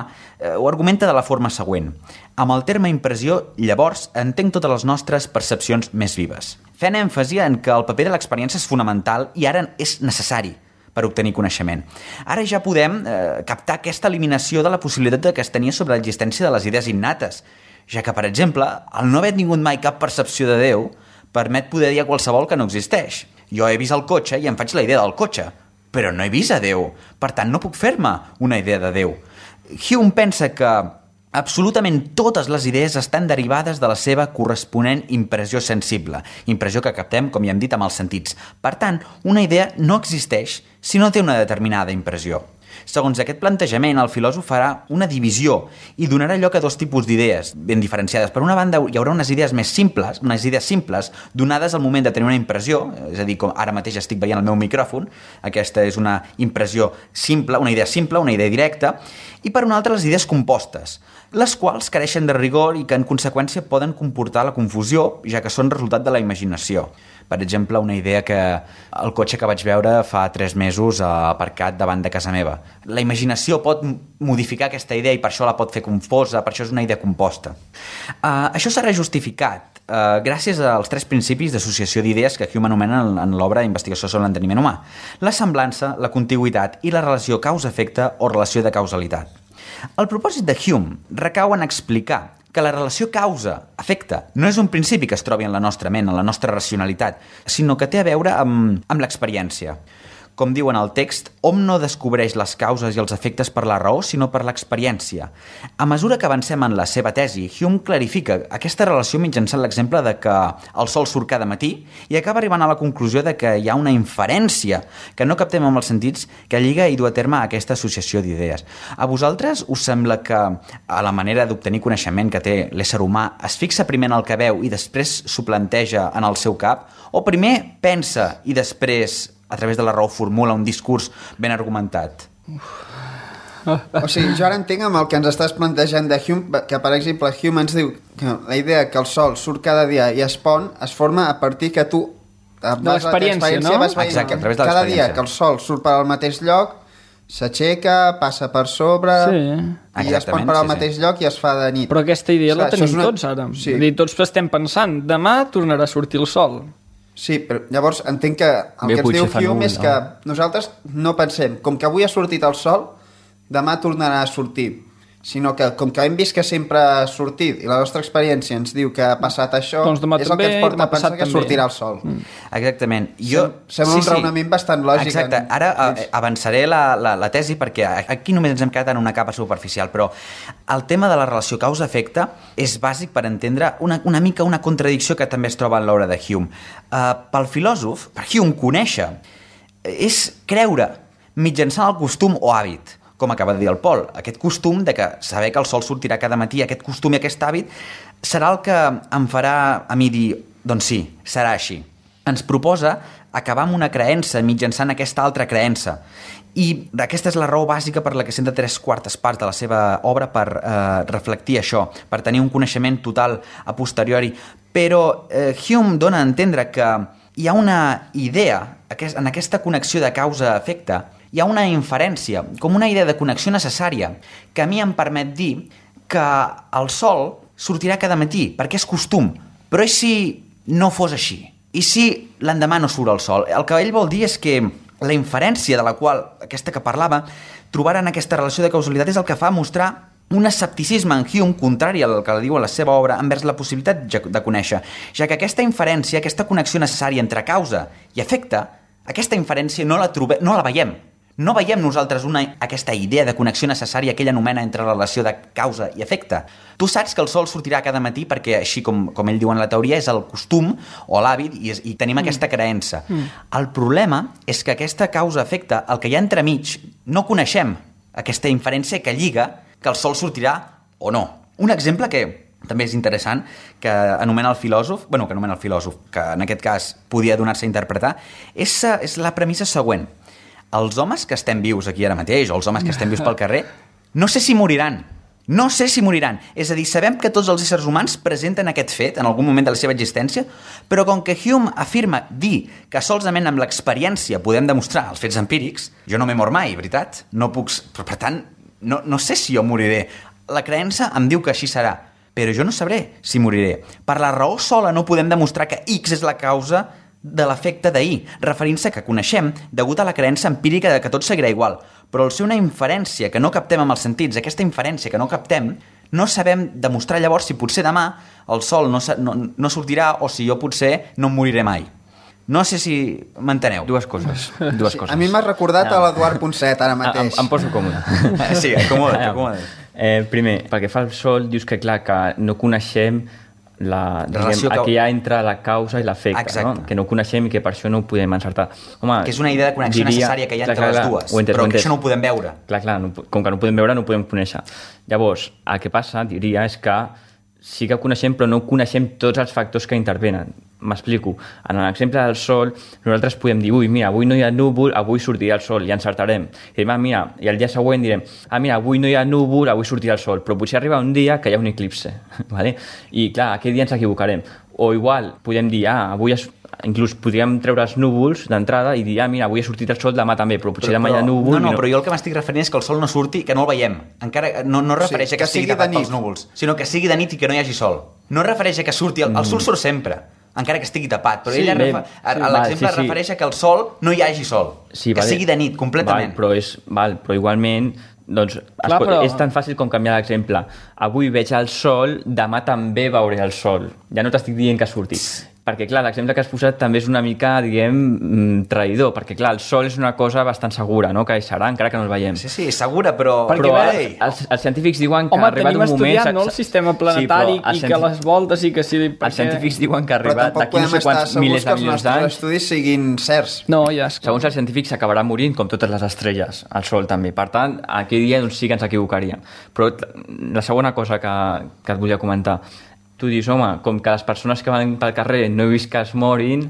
ho argumenta de la forma següent. Amb el terme impressió, llavors, entenc totes les nostres percepcions més vives, fent èmfasi en que el paper de l'experiència és fonamental i ara és necessari per obtenir coneixement. Ara ja podem captar aquesta eliminació de la possibilitat que es tenia sobre l'existència de les idees innates, ja que, per exemple, el no haver tingut mai cap percepció de Déu permet poder dir a qualsevol que no existeix. Jo he vist el cotxe i em faig la idea del cotxe, però no he vist a Déu, per tant no puc fer-me una idea de Déu. Hume pensa que absolutament totes les idees estan derivades de la seva corresponent impressió sensible, impressió que captem, com ja hem dit, amb els sentits. Per tant, una idea no existeix si no té una determinada impressió. Segons aquest plantejament, el filòsof farà una divisió i donarà lloc a dos tipus d'idees ben diferenciades. Per una banda, hi haurà unes idees més simples, unes idees simples donades al moment de tenir una impressió, és a dir, com ara mateix estic veient el meu micròfon, aquesta és una impressió simple, una idea directa, i per una altra les idees compostes, les quals careixen de rigor i que en conseqüència poden comportar la confusió, ja que són resultat de la imaginació. Per exemple, una idea que el cotxe que vaig veure fa 3 mesos aparcat davant de casa meva. La imaginació pot modificar aquesta idea i per això la pot fer confosa, per això és una idea composta. Això serà justificat gràcies als 3 principis d'associació d'idees que Hume anomena en l'obra Investigació sobre l'enteniment humà: la semblança, la contigüitat i la relació causa-efecte o relació de causalitat. El propòsit de Hume recau en explicar que la relació causa-efecte no és un principi que es trobi en la nostra ment, en la nostra racionalitat, sinó que té a veure amb l'experiència. Com diu en el text, hom no descobreix les causes i els efectes per la raó, sinó per l'experiència. A mesura que avancem en la seva tesi, Hume clarifica aquesta relació mitjançant l'exemple de que el sol surt cada matí i acaba arribant a la conclusió de que hi ha una inferència que no captem amb els sentits que lliga i du a terme aquesta associació d'idees. A vosaltres us sembla que a la manera d'obtenir coneixement que té l'ésser humà es fixa primer en el que veu i després s'ho planteja en el seu cap? O primer pensa i després a través de la raó formula un discurs ben argumentat? O sigui, jo ara entenc amb el que ens estàs plantejant de Hume, que per exemple Hume ens diu que la idea que el sol surt cada dia i es pon es forma a partir que tu de l'experiència, no? Exacte, a través de cada l'experiència. dia que el sol surt per al mateix lloc, s'aixeca, passa per sobre i es pon per al mateix lloc i es fa de nit. Però aquesta idea la tenim tots ara. Sí. Tots estem pensant, demà tornarà a sortir el sol. Sí, però llavors entenc que el que ens diu Hume és que nosaltres no pensem, com que avui ha sortit el sol, demà tornarà a sortir, sinó que com que hem vist que sempre ha sortit i la nostra experiència ens diu que ha passat això, doncs és el que ens porta a pensar que sortirà el sol. Exactament. Sembla un raonament bastant lògic. Exacte. Ara avançaré la tesi perquè aquí només ens hem quedat en una capa superficial, però el tema de la relació causa-efecte és bàsic per entendre una mica una contradicció que també es troba en l'obra de Hume. Pel filòsof, per Hume, conèixer és creure mitjançant el costum o hàbit, com acaba de dir el Pol, aquest costum de que saber que el sol sortirà cada matí, aquest costum i aquest hàbit, serà el que em farà a mi dir, doncs sí, serà així. Ens proposa acabar amb una creença mitjançant aquesta altra creença. I aquesta és la raó bàsica per la que senta 3/4 parts de la seva obra per reflectir això, per tenir un coneixement total a posteriori. Però Hume dona a entendre que hi ha una idea, en aquesta connexió de causa-efecte, hi ha una inferència, com una idea de connexió necessària, que a mi em permet dir que el sol sortirà cada matí, perquè és costum. Però i si no fos així? I si l'endemà no surt el sol? El que ell vol dir és que la inferència de la qual, aquesta que parlava, trobar en aquesta relació de causalitat és el que fa mostrar un escepticisme en Hume contrari al que diu a la seva obra envers la possibilitat de conèixer, ja que aquesta inferència, aquesta connexió necessària entre causa i efecte, aquesta inferència no la veiem. No veiem nosaltres aquesta idea de connexió necessària que ell anomena entre la relació de causa i efecte. Tu saps que el sol sortirà cada matí perquè, així com ell diu en la teoria, és el costum o l'hàbit i tenim aquesta creença. El problema és que aquesta causa-efecte, el que hi ha entremig, no coneixem aquesta inferència que lliga que el sol sortirà o no. Un exemple que també és interessant, que anomena el filòsof, que en aquest cas podia donar-se a interpretar, és la premissa següent. Els homes que estem vius aquí ara mateix, o els homes que estem vius pel carrer, no sé si moriran. No sé si moriran. És a dir, sabem que tots els éssers humans presenten aquest fet en algun moment de la seva existència, però com que Hume afirma dir que solament amb l'experiència podem demostrar els fets empírics, jo no m'he mort mai, veritat? No puc... Però, per tant, no sé si jo moriré. La creença em diu que així serà, però jo no sabré si moriré. Per la raó sola no podem demostrar que X és la causa de l'efecte d'ahir, referint-se que coneixem degut a la creença empírica de que tot seguirà igual. Però al ser una inferència que no captem amb els sentits, aquesta inferència que no captem, no sabem demostrar llavors si potser demà el sol no sortirà o si jo potser no em moriré mai. No sé si m'enteneu. Dues coses. A mi m'ha recordat a l'Eduard Ponset ara mateix. Em poso còmode. Sí, acomoda't. Primer, perquè fa el sol, dius que clar, que no coneixem que hi ha entre la causa i l'efecte, no? Que no coneixem i que per això no ho podem encertar. Home, que és una idea de connexió necessària que hi ha entre les dues, però que això no ho podem veure. Clar, com que no ho podem veure no ho podem conèixer. Llavors, el que passa, diria, és que sí que coneixem, però no coneixem tots els factors que intervenen. M'explico. En l'exemple del sol, nosaltres podem dir, mira, avui no hi ha núvol, avui sortirà el sol, i encertarem. I mira, i el dia següent direm, mira, avui no hi ha núvol, avui sortirà el sol, però potser arriba un dia que hi ha un eclipse, ¿vale? I clar, aquell dia ens equivocarem. O igual, podem dir, avui inclús podríem treure els núvols d'entrada i dir, mira, avui ha sortit el sol, demà també, però potser demà hi ha núvol... No, però jo el que m'estic referint és que el sol no surti, que no el veiem. Encara no refereix a que estigui tapat pels núvols, sinó que sigui de nit i que no hi hagi sol. No refereix a que surti... El sol surt sempre, encara que estigui tapat, però l'exemple refereix a que el sol no hi hagi sol, que sigui de nit, completament. Però igualment Doncs és tan fàcil com canviar l'exemple. Avui veig el sol, demà també veuré el sol. Ja no t'estic dient que surti. Perquè, clar, l'exemple que has posat també és una mica, diguem, traïdor, perquè, clar, el sol és una cosa bastant segura, no?, que hi serà, encara que no el veiem. Sí, segura, però... Els científics diuen que ha arribat un moment... Home, tenim estudiat, no?, el sistema planetari i que les voltes i que sí... Els científics diuen que ha arribat d'aquí no sé quants milers de milions d'anys... Però tampoc podem estar segurs que els nostres estudis siguin certs. No, ja és... Segons els científics s'acabarà morint, com totes les estrelles, el sol també. Per tant, aquell dia doncs, sí que ens equivocaríem. Però la segona cosa que et volia comentar... Tu dius, home, com que les persones que van pel carrer no he vist que es morin,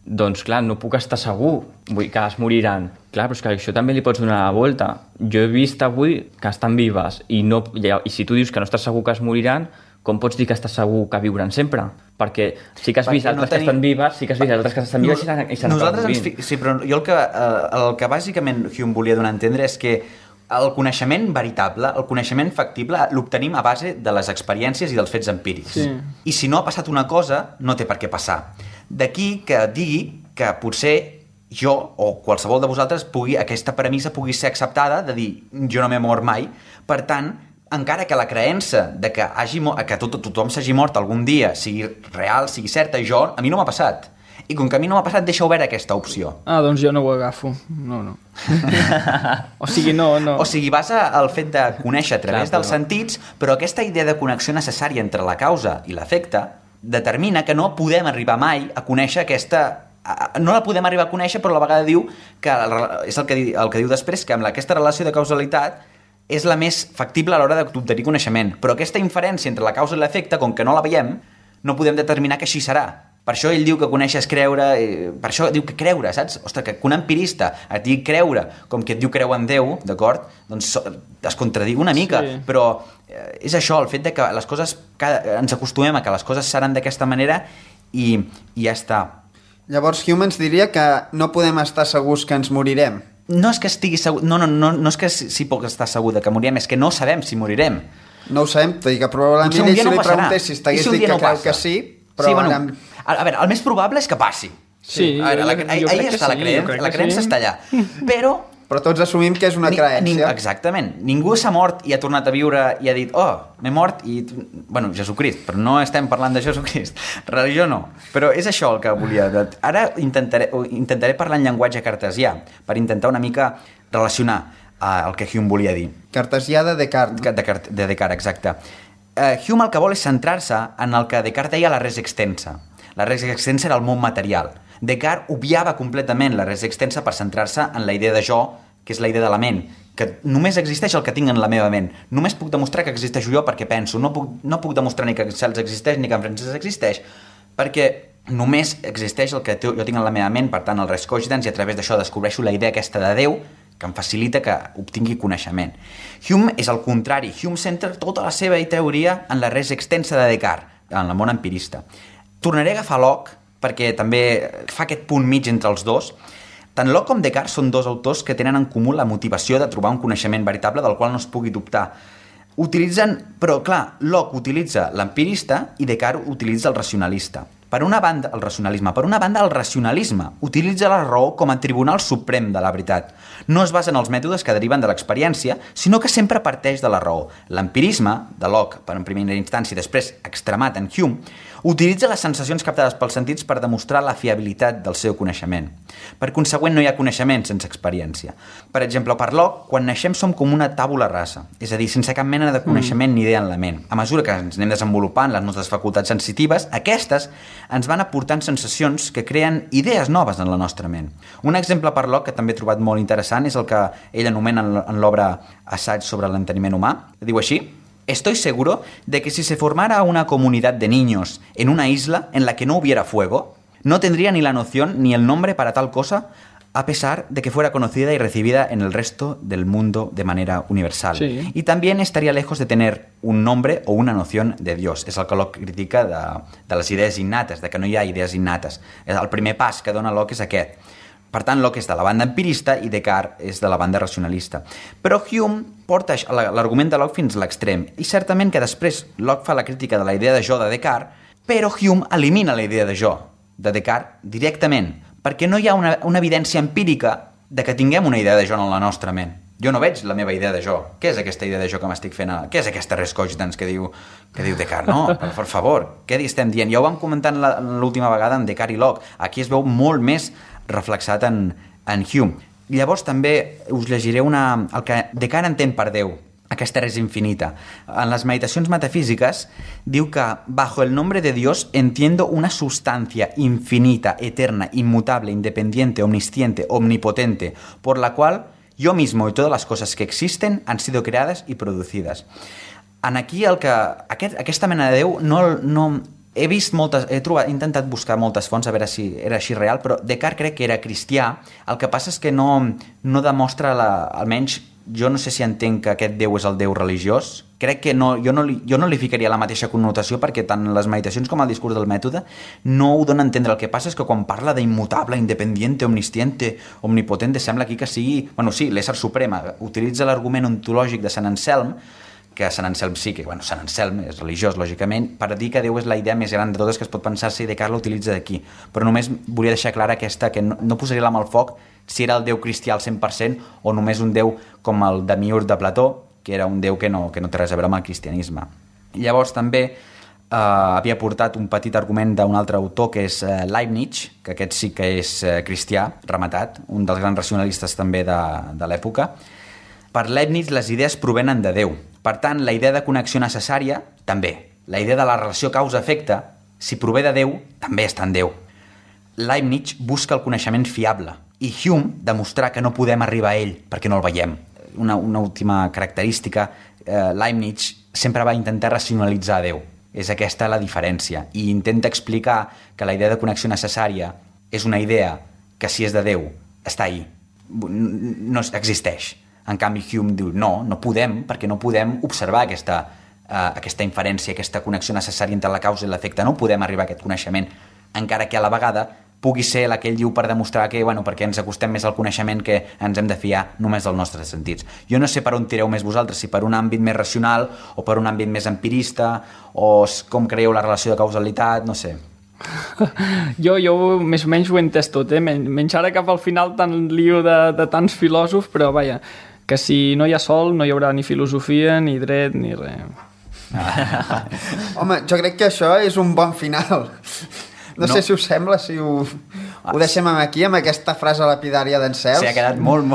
doncs, clar, no puc estar segur que es moriran. Clar, però és que això també li pots donar la volta. Jo he vist avui que estan vives i si tu dius que no estàs segur que es moriran, com pots dir que estàs segur que viuran sempre? Perquè sí que has vist altres que estan vives, sí que has vist altres que estan vives i s'han acabat morint. Sí, però jo el que bàsicament Hume volia donar a entendre és que el coneixement veritable, el coneixement factible, l'obtenim a base de les experiències i dels fets empírics. Sí. I si no ha passat una cosa, no té per què passar. D'aquí que digui que potser jo o qualsevol de vosaltres aquesta premissa pugui ser acceptada de dir jo no m'he mort mai. Per tant, encara que la creença de que tothom s'hagi mort algun dia sigui real, sigui certa, a mi no m'ha passat. I com que a mi no m'ha passat, deixa oberta aquesta opció. Doncs jo no ho agafo. No. O sigui, no. O sigui, vas al fet de conèixer a través dels sentits, però aquesta idea de connexió necessària entre la causa i l'efecte determina que no podem arribar mai a conèixer aquesta... No la podem arribar a conèixer, però a la vegada diu que és el que diu després, que amb aquesta relació de causalitat és la més factible a l'hora d'obtenir coneixement. Però aquesta inferència entre la causa i l'efecte, com que no la veiem, no podem determinar que així serà. Per això ell diu que conèixer és creure, per això diu que creure, saps? Ostres, que un empirista et digui creure, com que et diu creu en Déu, d'acord? Doncs es contradiu una mica, sí. Però és això, el fet de que les coses, ens acostumem a que les coses seran d'aquesta manera i ja està. Llavors Hume ens diria que no podem estar segurs que ens morirem. No és que estigui segur, no és que sí puc estar segur que morirem, és que no sabem si morirem. No ho sabem, tot i que probablement ell si li preguntés si estigués dit que creu que sí, però sí, ara... A veure, el més probable és que passi. Sí, ahí està la creença està allà. Però tots assumim que és una creença. Exactament. Ningú s'ha mort i ha tornat a viure i ha dit m'he mort i... Bueno, Jesucrist, però no estem parlant de Jesucrist. Religió no. Però és això el que volia. Ara intentaré parlar en llenguatge cartesià per intentar una mica relacionar el que Hume volia dir. Cartesià de Descartes. De Descartes, exacte. Hume el que vol és centrar-se en el que Descartes deia la res extensa. La res extensa era el món material. Descartes obviava completament la res extensa per centrar-se en la idea de jo, que és la idea de la ment, que només existeix el que tinc en la meva ment. Només puc demostrar que existeixo jo perquè penso. No puc demostrar ni que Cels existeix ni que en Francesc existeix, perquè només existeix el que jo tinc en la meva ment, per tant el res cogitans, i a través d'això descobreixo la idea aquesta de Déu, que em facilita que obtingui coneixement. Hume és el contrari. Hume centra tota la seva teoria en la res extensa de Descartes, en el món empirista. Tornaré a agafar Locke, perquè també fa aquest punt mig entre els dos. Tant Locke com Descartes són dos autors que tenen en comú la motivació de trobar un coneixement veritable del qual no es pugui dubtar. Però clar, Locke utilitza l'empirista i Descartes utilitza el racionalista. Per una banda, el racionalisme utilitza la raó com a tribunal suprem de la veritat. No es basa en els mètodes que deriven de l'experiència, sinó que sempre parteix de la raó. L'empirisme, de Locke, per en primera instància i després extremat en Hume, utilitza les sensacions captades pels sentits per demostrar la fiabilitat del seu coneixement. Per consegüent, no hi ha coneixement sense experiència. Per exemple, per Locke, quan naixem som com una tàbula rasa, és a dir, sense cap mena de coneixement ni idea en la ment. A mesura que ens anem desenvolupant les nostres facultats sensitives, aquestes ens van aportant sensacions que creen idees noves en la nostra ment. Un exemple per Locke que també he trobat molt interessant és el que ell anomena en l'obra Assaig sobre l'enteniment humà. Diu així: estoy seguro de que si se formara una comunidad de niños en una isla en la que no hubiera fuego, no tendría ni la noción ni el nombre para tal cosa, a pesar de que fuera conocida y recibida en el resto del mundo de manera universal. Sí. Y también estaría lejos de tener un nombre o una noción de Dios. És el que Locke critica de les idees innates, de que no hi ha idees innates. El primer pas que dona Locke és aquest. Per tant, Locke és de la banda empirista i Descartes és de la banda racionalista. Però Hume porta l'argument de Locke fins a l'extrem. I certament que després Locke fa la crítica de la idea de jo de Descartes, però Hume elimina la idea de jo de Descartes directament, perquè no hi ha una evidència empírica de que tinguem una idea de jo en la nostra ment. Jo no veig la meva idea de jo. Què és aquesta idea de jo que m'estic fent? Què és aquesta res cogitans que diu Descartes? No, per favor, què estem dient? Ja ho vam comentar l'última vegada en Descartes i Locke. Aquí es veu molt més reflexat en Hume. Llavors també us llegiré el que Descartes entén per Déu. Aquesta res infinita. En les meditacions metafísiques diu que bajo el nombre de Dios entiendo una sustancia infinita, eterna, inmutable, independiente, omnisciente, omnipotente, por la cual yo mismo y todas las cosas que existen han sido creadas y producidas. En aquí aquesta mena de Déu no he vist moltes, he intentat buscar moltes fonts a veure si era així real, però Descartes crec que era cristià. El que passa és que no demostra, almenys jo no sé si entenc que aquest Déu és el Déu religiós. Crec que jo no li ficaria la mateixa connotació, perquè tant les meditacions com el discurs del mètode no ho dona a entendre. El que passa és que quan parla d'immutable, independiente, omnisciente, omnipotente, sembla aquí que sigui, sí, l'ésser suprema. Utilitza l'argument ontològic de Sant Anselm, que Sant Anselm sí, que Sant Anselm és religiós, lògicament, per dir que Déu és la idea més gran de totes que es pot pensar-se, i Descartes l'utilitza d'aquí. Però només volia deixar clara aquesta, que no posaria la mà al foc si era el Déu cristià al 100% o només un Déu com el Demiurg de Plató, que era un Déu que no té res a veure amb el cristianisme. Llavors també havia portat un petit argument d'un altre autor, que és Leibniz, que aquest sí que és cristià, rematat, un dels grans racionalistes també de l'època. Per Leibniz les idees provenen de Déu. Per tant, la idea de connexió necessària, també. La idea de la relació causa-efecte, si prové de Déu, també està en Déu. Leibniz busca el coneixement fiable i Hume demostrar que no podem arribar a ell perquè no el veiem. Una última característica, Leibniz sempre va intentar racionalitzar a Déu. És aquesta la diferència. I intenta explicar que la idea de connexió necessària és una idea que, si és de Déu, està ahí. No existeix. En canvi, Hume diu, no podem, perquè no podem observar aquesta inferència, aquesta connexió necessària entre la causa i l'efecte. No podem arribar a aquest coneixement, encara que a la vegada pugui ser la que ell diu per demostrar que, perquè ens acostem més al coneixement, que ens hem de fiar només dels nostres sentits. Jo no sé per on tireu més vosaltres, si per un àmbit més racional o per un àmbit més empirista, o com creieu la relació de causalitat, no sé. Jo més o menys ho he entès tot, menys ara cap al final tant lío de tants filòsofs, però vaja, que si no hi ha sol no hi haurà ni filosofia, ni dret, ni res. Home, jo crec que això és un bon final. No sé si us sembla, si ho deixem aquí, amb aquesta frase lapidària d'en Cels. Sí, ha quedat molt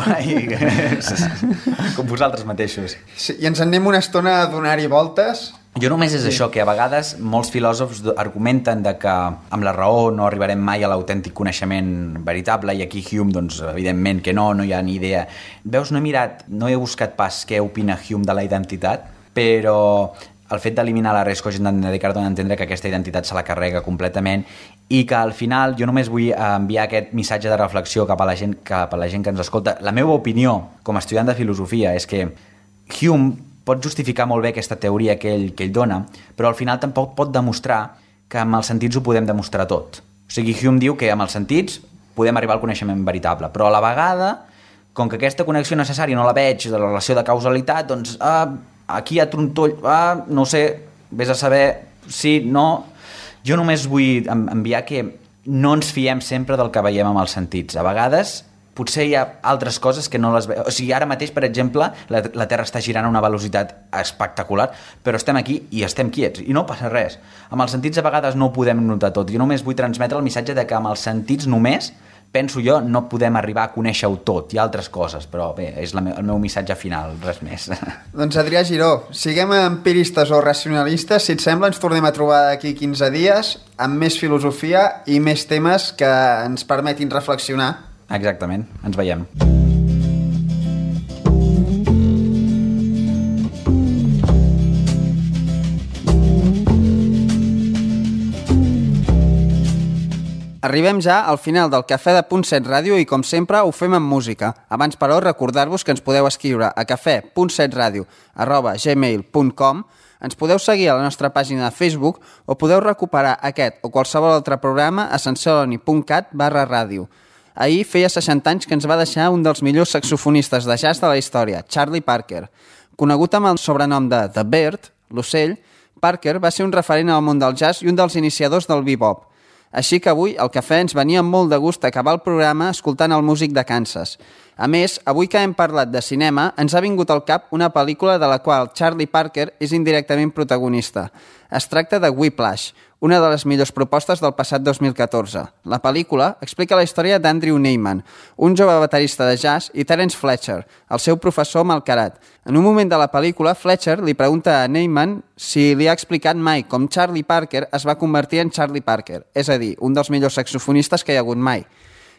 com vosaltres mateixos. Sí, i ens en anem una estona a donar-hi voltes. Jo només és això, que a vegades molts filòsofs argumenten de que amb la raó no arribarem mai a l'autèntic coneixement veritable, i aquí Hume, doncs, evidentment que no hi ha ni idea. Veus, no he buscat pas què opina Hume de la identitat, però el fet d'eliminar la res cogitans de Descartes dona a entendre que aquesta identitat se la carrega completament, i que al final jo només vull enviar aquest missatge de reflexió cap a la gent que ens escolta. La meva opinió com a estudiant de filosofia és que Hume pot justificar molt bé aquesta teoria que ell dona, però al final tampoc pot demostrar que amb els sentits ho podem demostrar tot. O sigui, Hume diu que amb els sentits podem arribar al coneixement veritable, però a la vegada, com que aquesta connexió necessària no la veig de la relació de causalitat, doncs aquí hi ha trontoll, no sé, vés a saber, sí, no. Jo només vull enviar que no ens fiem sempre del que veiem amb els sentits. A vegades potser hi ha altres coses que no les veiem. O sigui, ara mateix, per exemple, la Terra està girant a una velocitat espectacular, però estem aquí i estem quiets, i no passa res. Amb els sentits a vegades no ho podem notar tot. Jo només vull transmetre el missatge de que amb els sentits només, penso jo, no podem arribar a conèixer-ho tot. Hi ha altres coses, però bé, és el meu missatge final, res més. Doncs Adrià Giró, siguem empiristes o racionalistes, si et sembla ens tornem a trobar d'aquí 15 dies amb més filosofia i més temes que ens permetin reflexionar. Exactament, ens veiem. Arribem ja al final del Cafè de Punt 7 Ràdio i, com sempre, ho fem amb música. Abans, però, recordar-vos que ens podeu escriure a cafè.setradio@gmail.com, ens podeu seguir a la nostra pàgina de Facebook o podeu recuperar aquest o qualsevol altre programa a sensoloni.cat/ràdio. Ahir feia 60 anys que ens va deixar un dels millors saxofonistes de jazz de la història, Charlie Parker. Conegut amb el sobrenom de The Bird, l'ocell, Parker va ser un referent al món del jazz i un dels iniciadors del bebop. Així que avui al cafè ens venia molt de gust acabar el programa escoltant el músic de Kansas. A més, avui que hem parlat de cinema, ens ha vingut al cap una pel·lícula de la qual Charlie Parker és indirectament protagonista. Es tracta de Whiplash, una de les millors propostes del passat 2014. La pel·lícula explica la història d'Andrew Neiman, un jove baterista de jazz, i Terence Fletcher, el seu professor malcarat. En un moment de la pel·lícula, Fletcher li pregunta a Neiman si li ha explicat mai com Charlie Parker es va convertir en Charlie Parker, és a dir, un dels millors saxofonistes que hi ha hagut mai.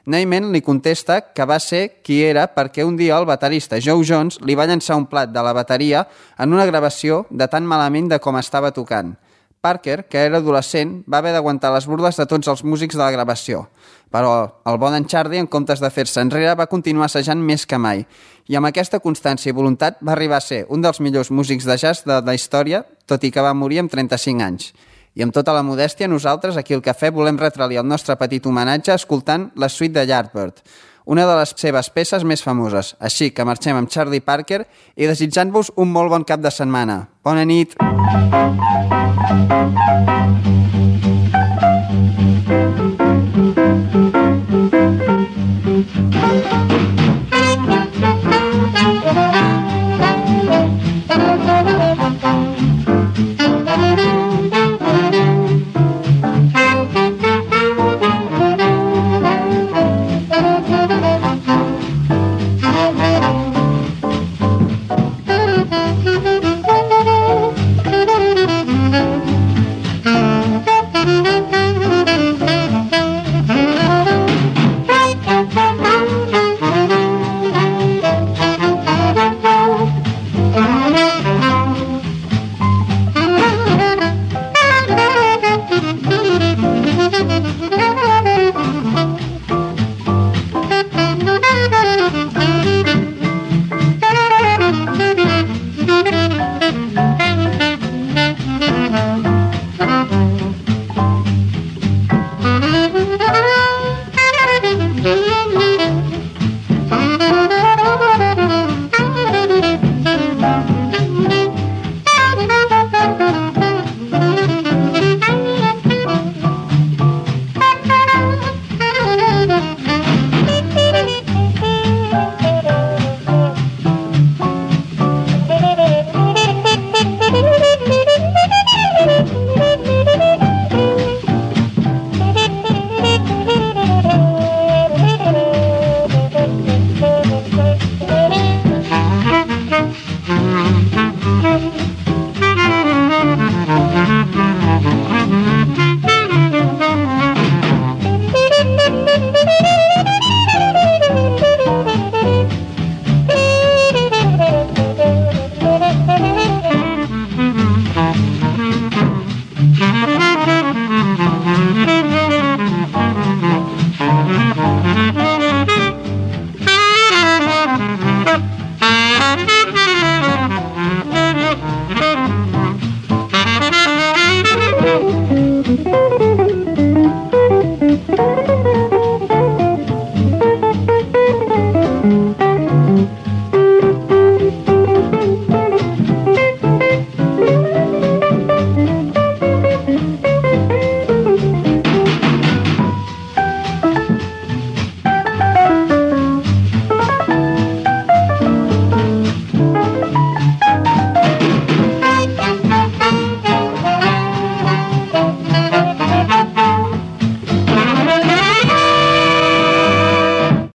Neiman li contesta que va ser qui era perquè un dia el baterista Joe Jones li va llançar un plat de la bateria en una gravació de tan malament de com estava tocant. Parker, que era adolescent, va haver d'aguantar les burles de tots els músics de la gravació. Però el bon en Charlie, en comptes de fer-se enrere, va continuar assajant més que mai. I amb aquesta constància i voluntat va arribar a ser un dels millors músics de jazz de la història, tot i que va morir amb 35 anys. I amb tota la modèstia, nosaltres, aquí al Cafè, volem retralir el nostre petit homenatge escoltant la suite de Yardbird, una de les seves peces més famoses. Així que marxem amb Charlie Parker i desitjant-vos un molt bon cap de setmana. Bona nit! Mm-hmm.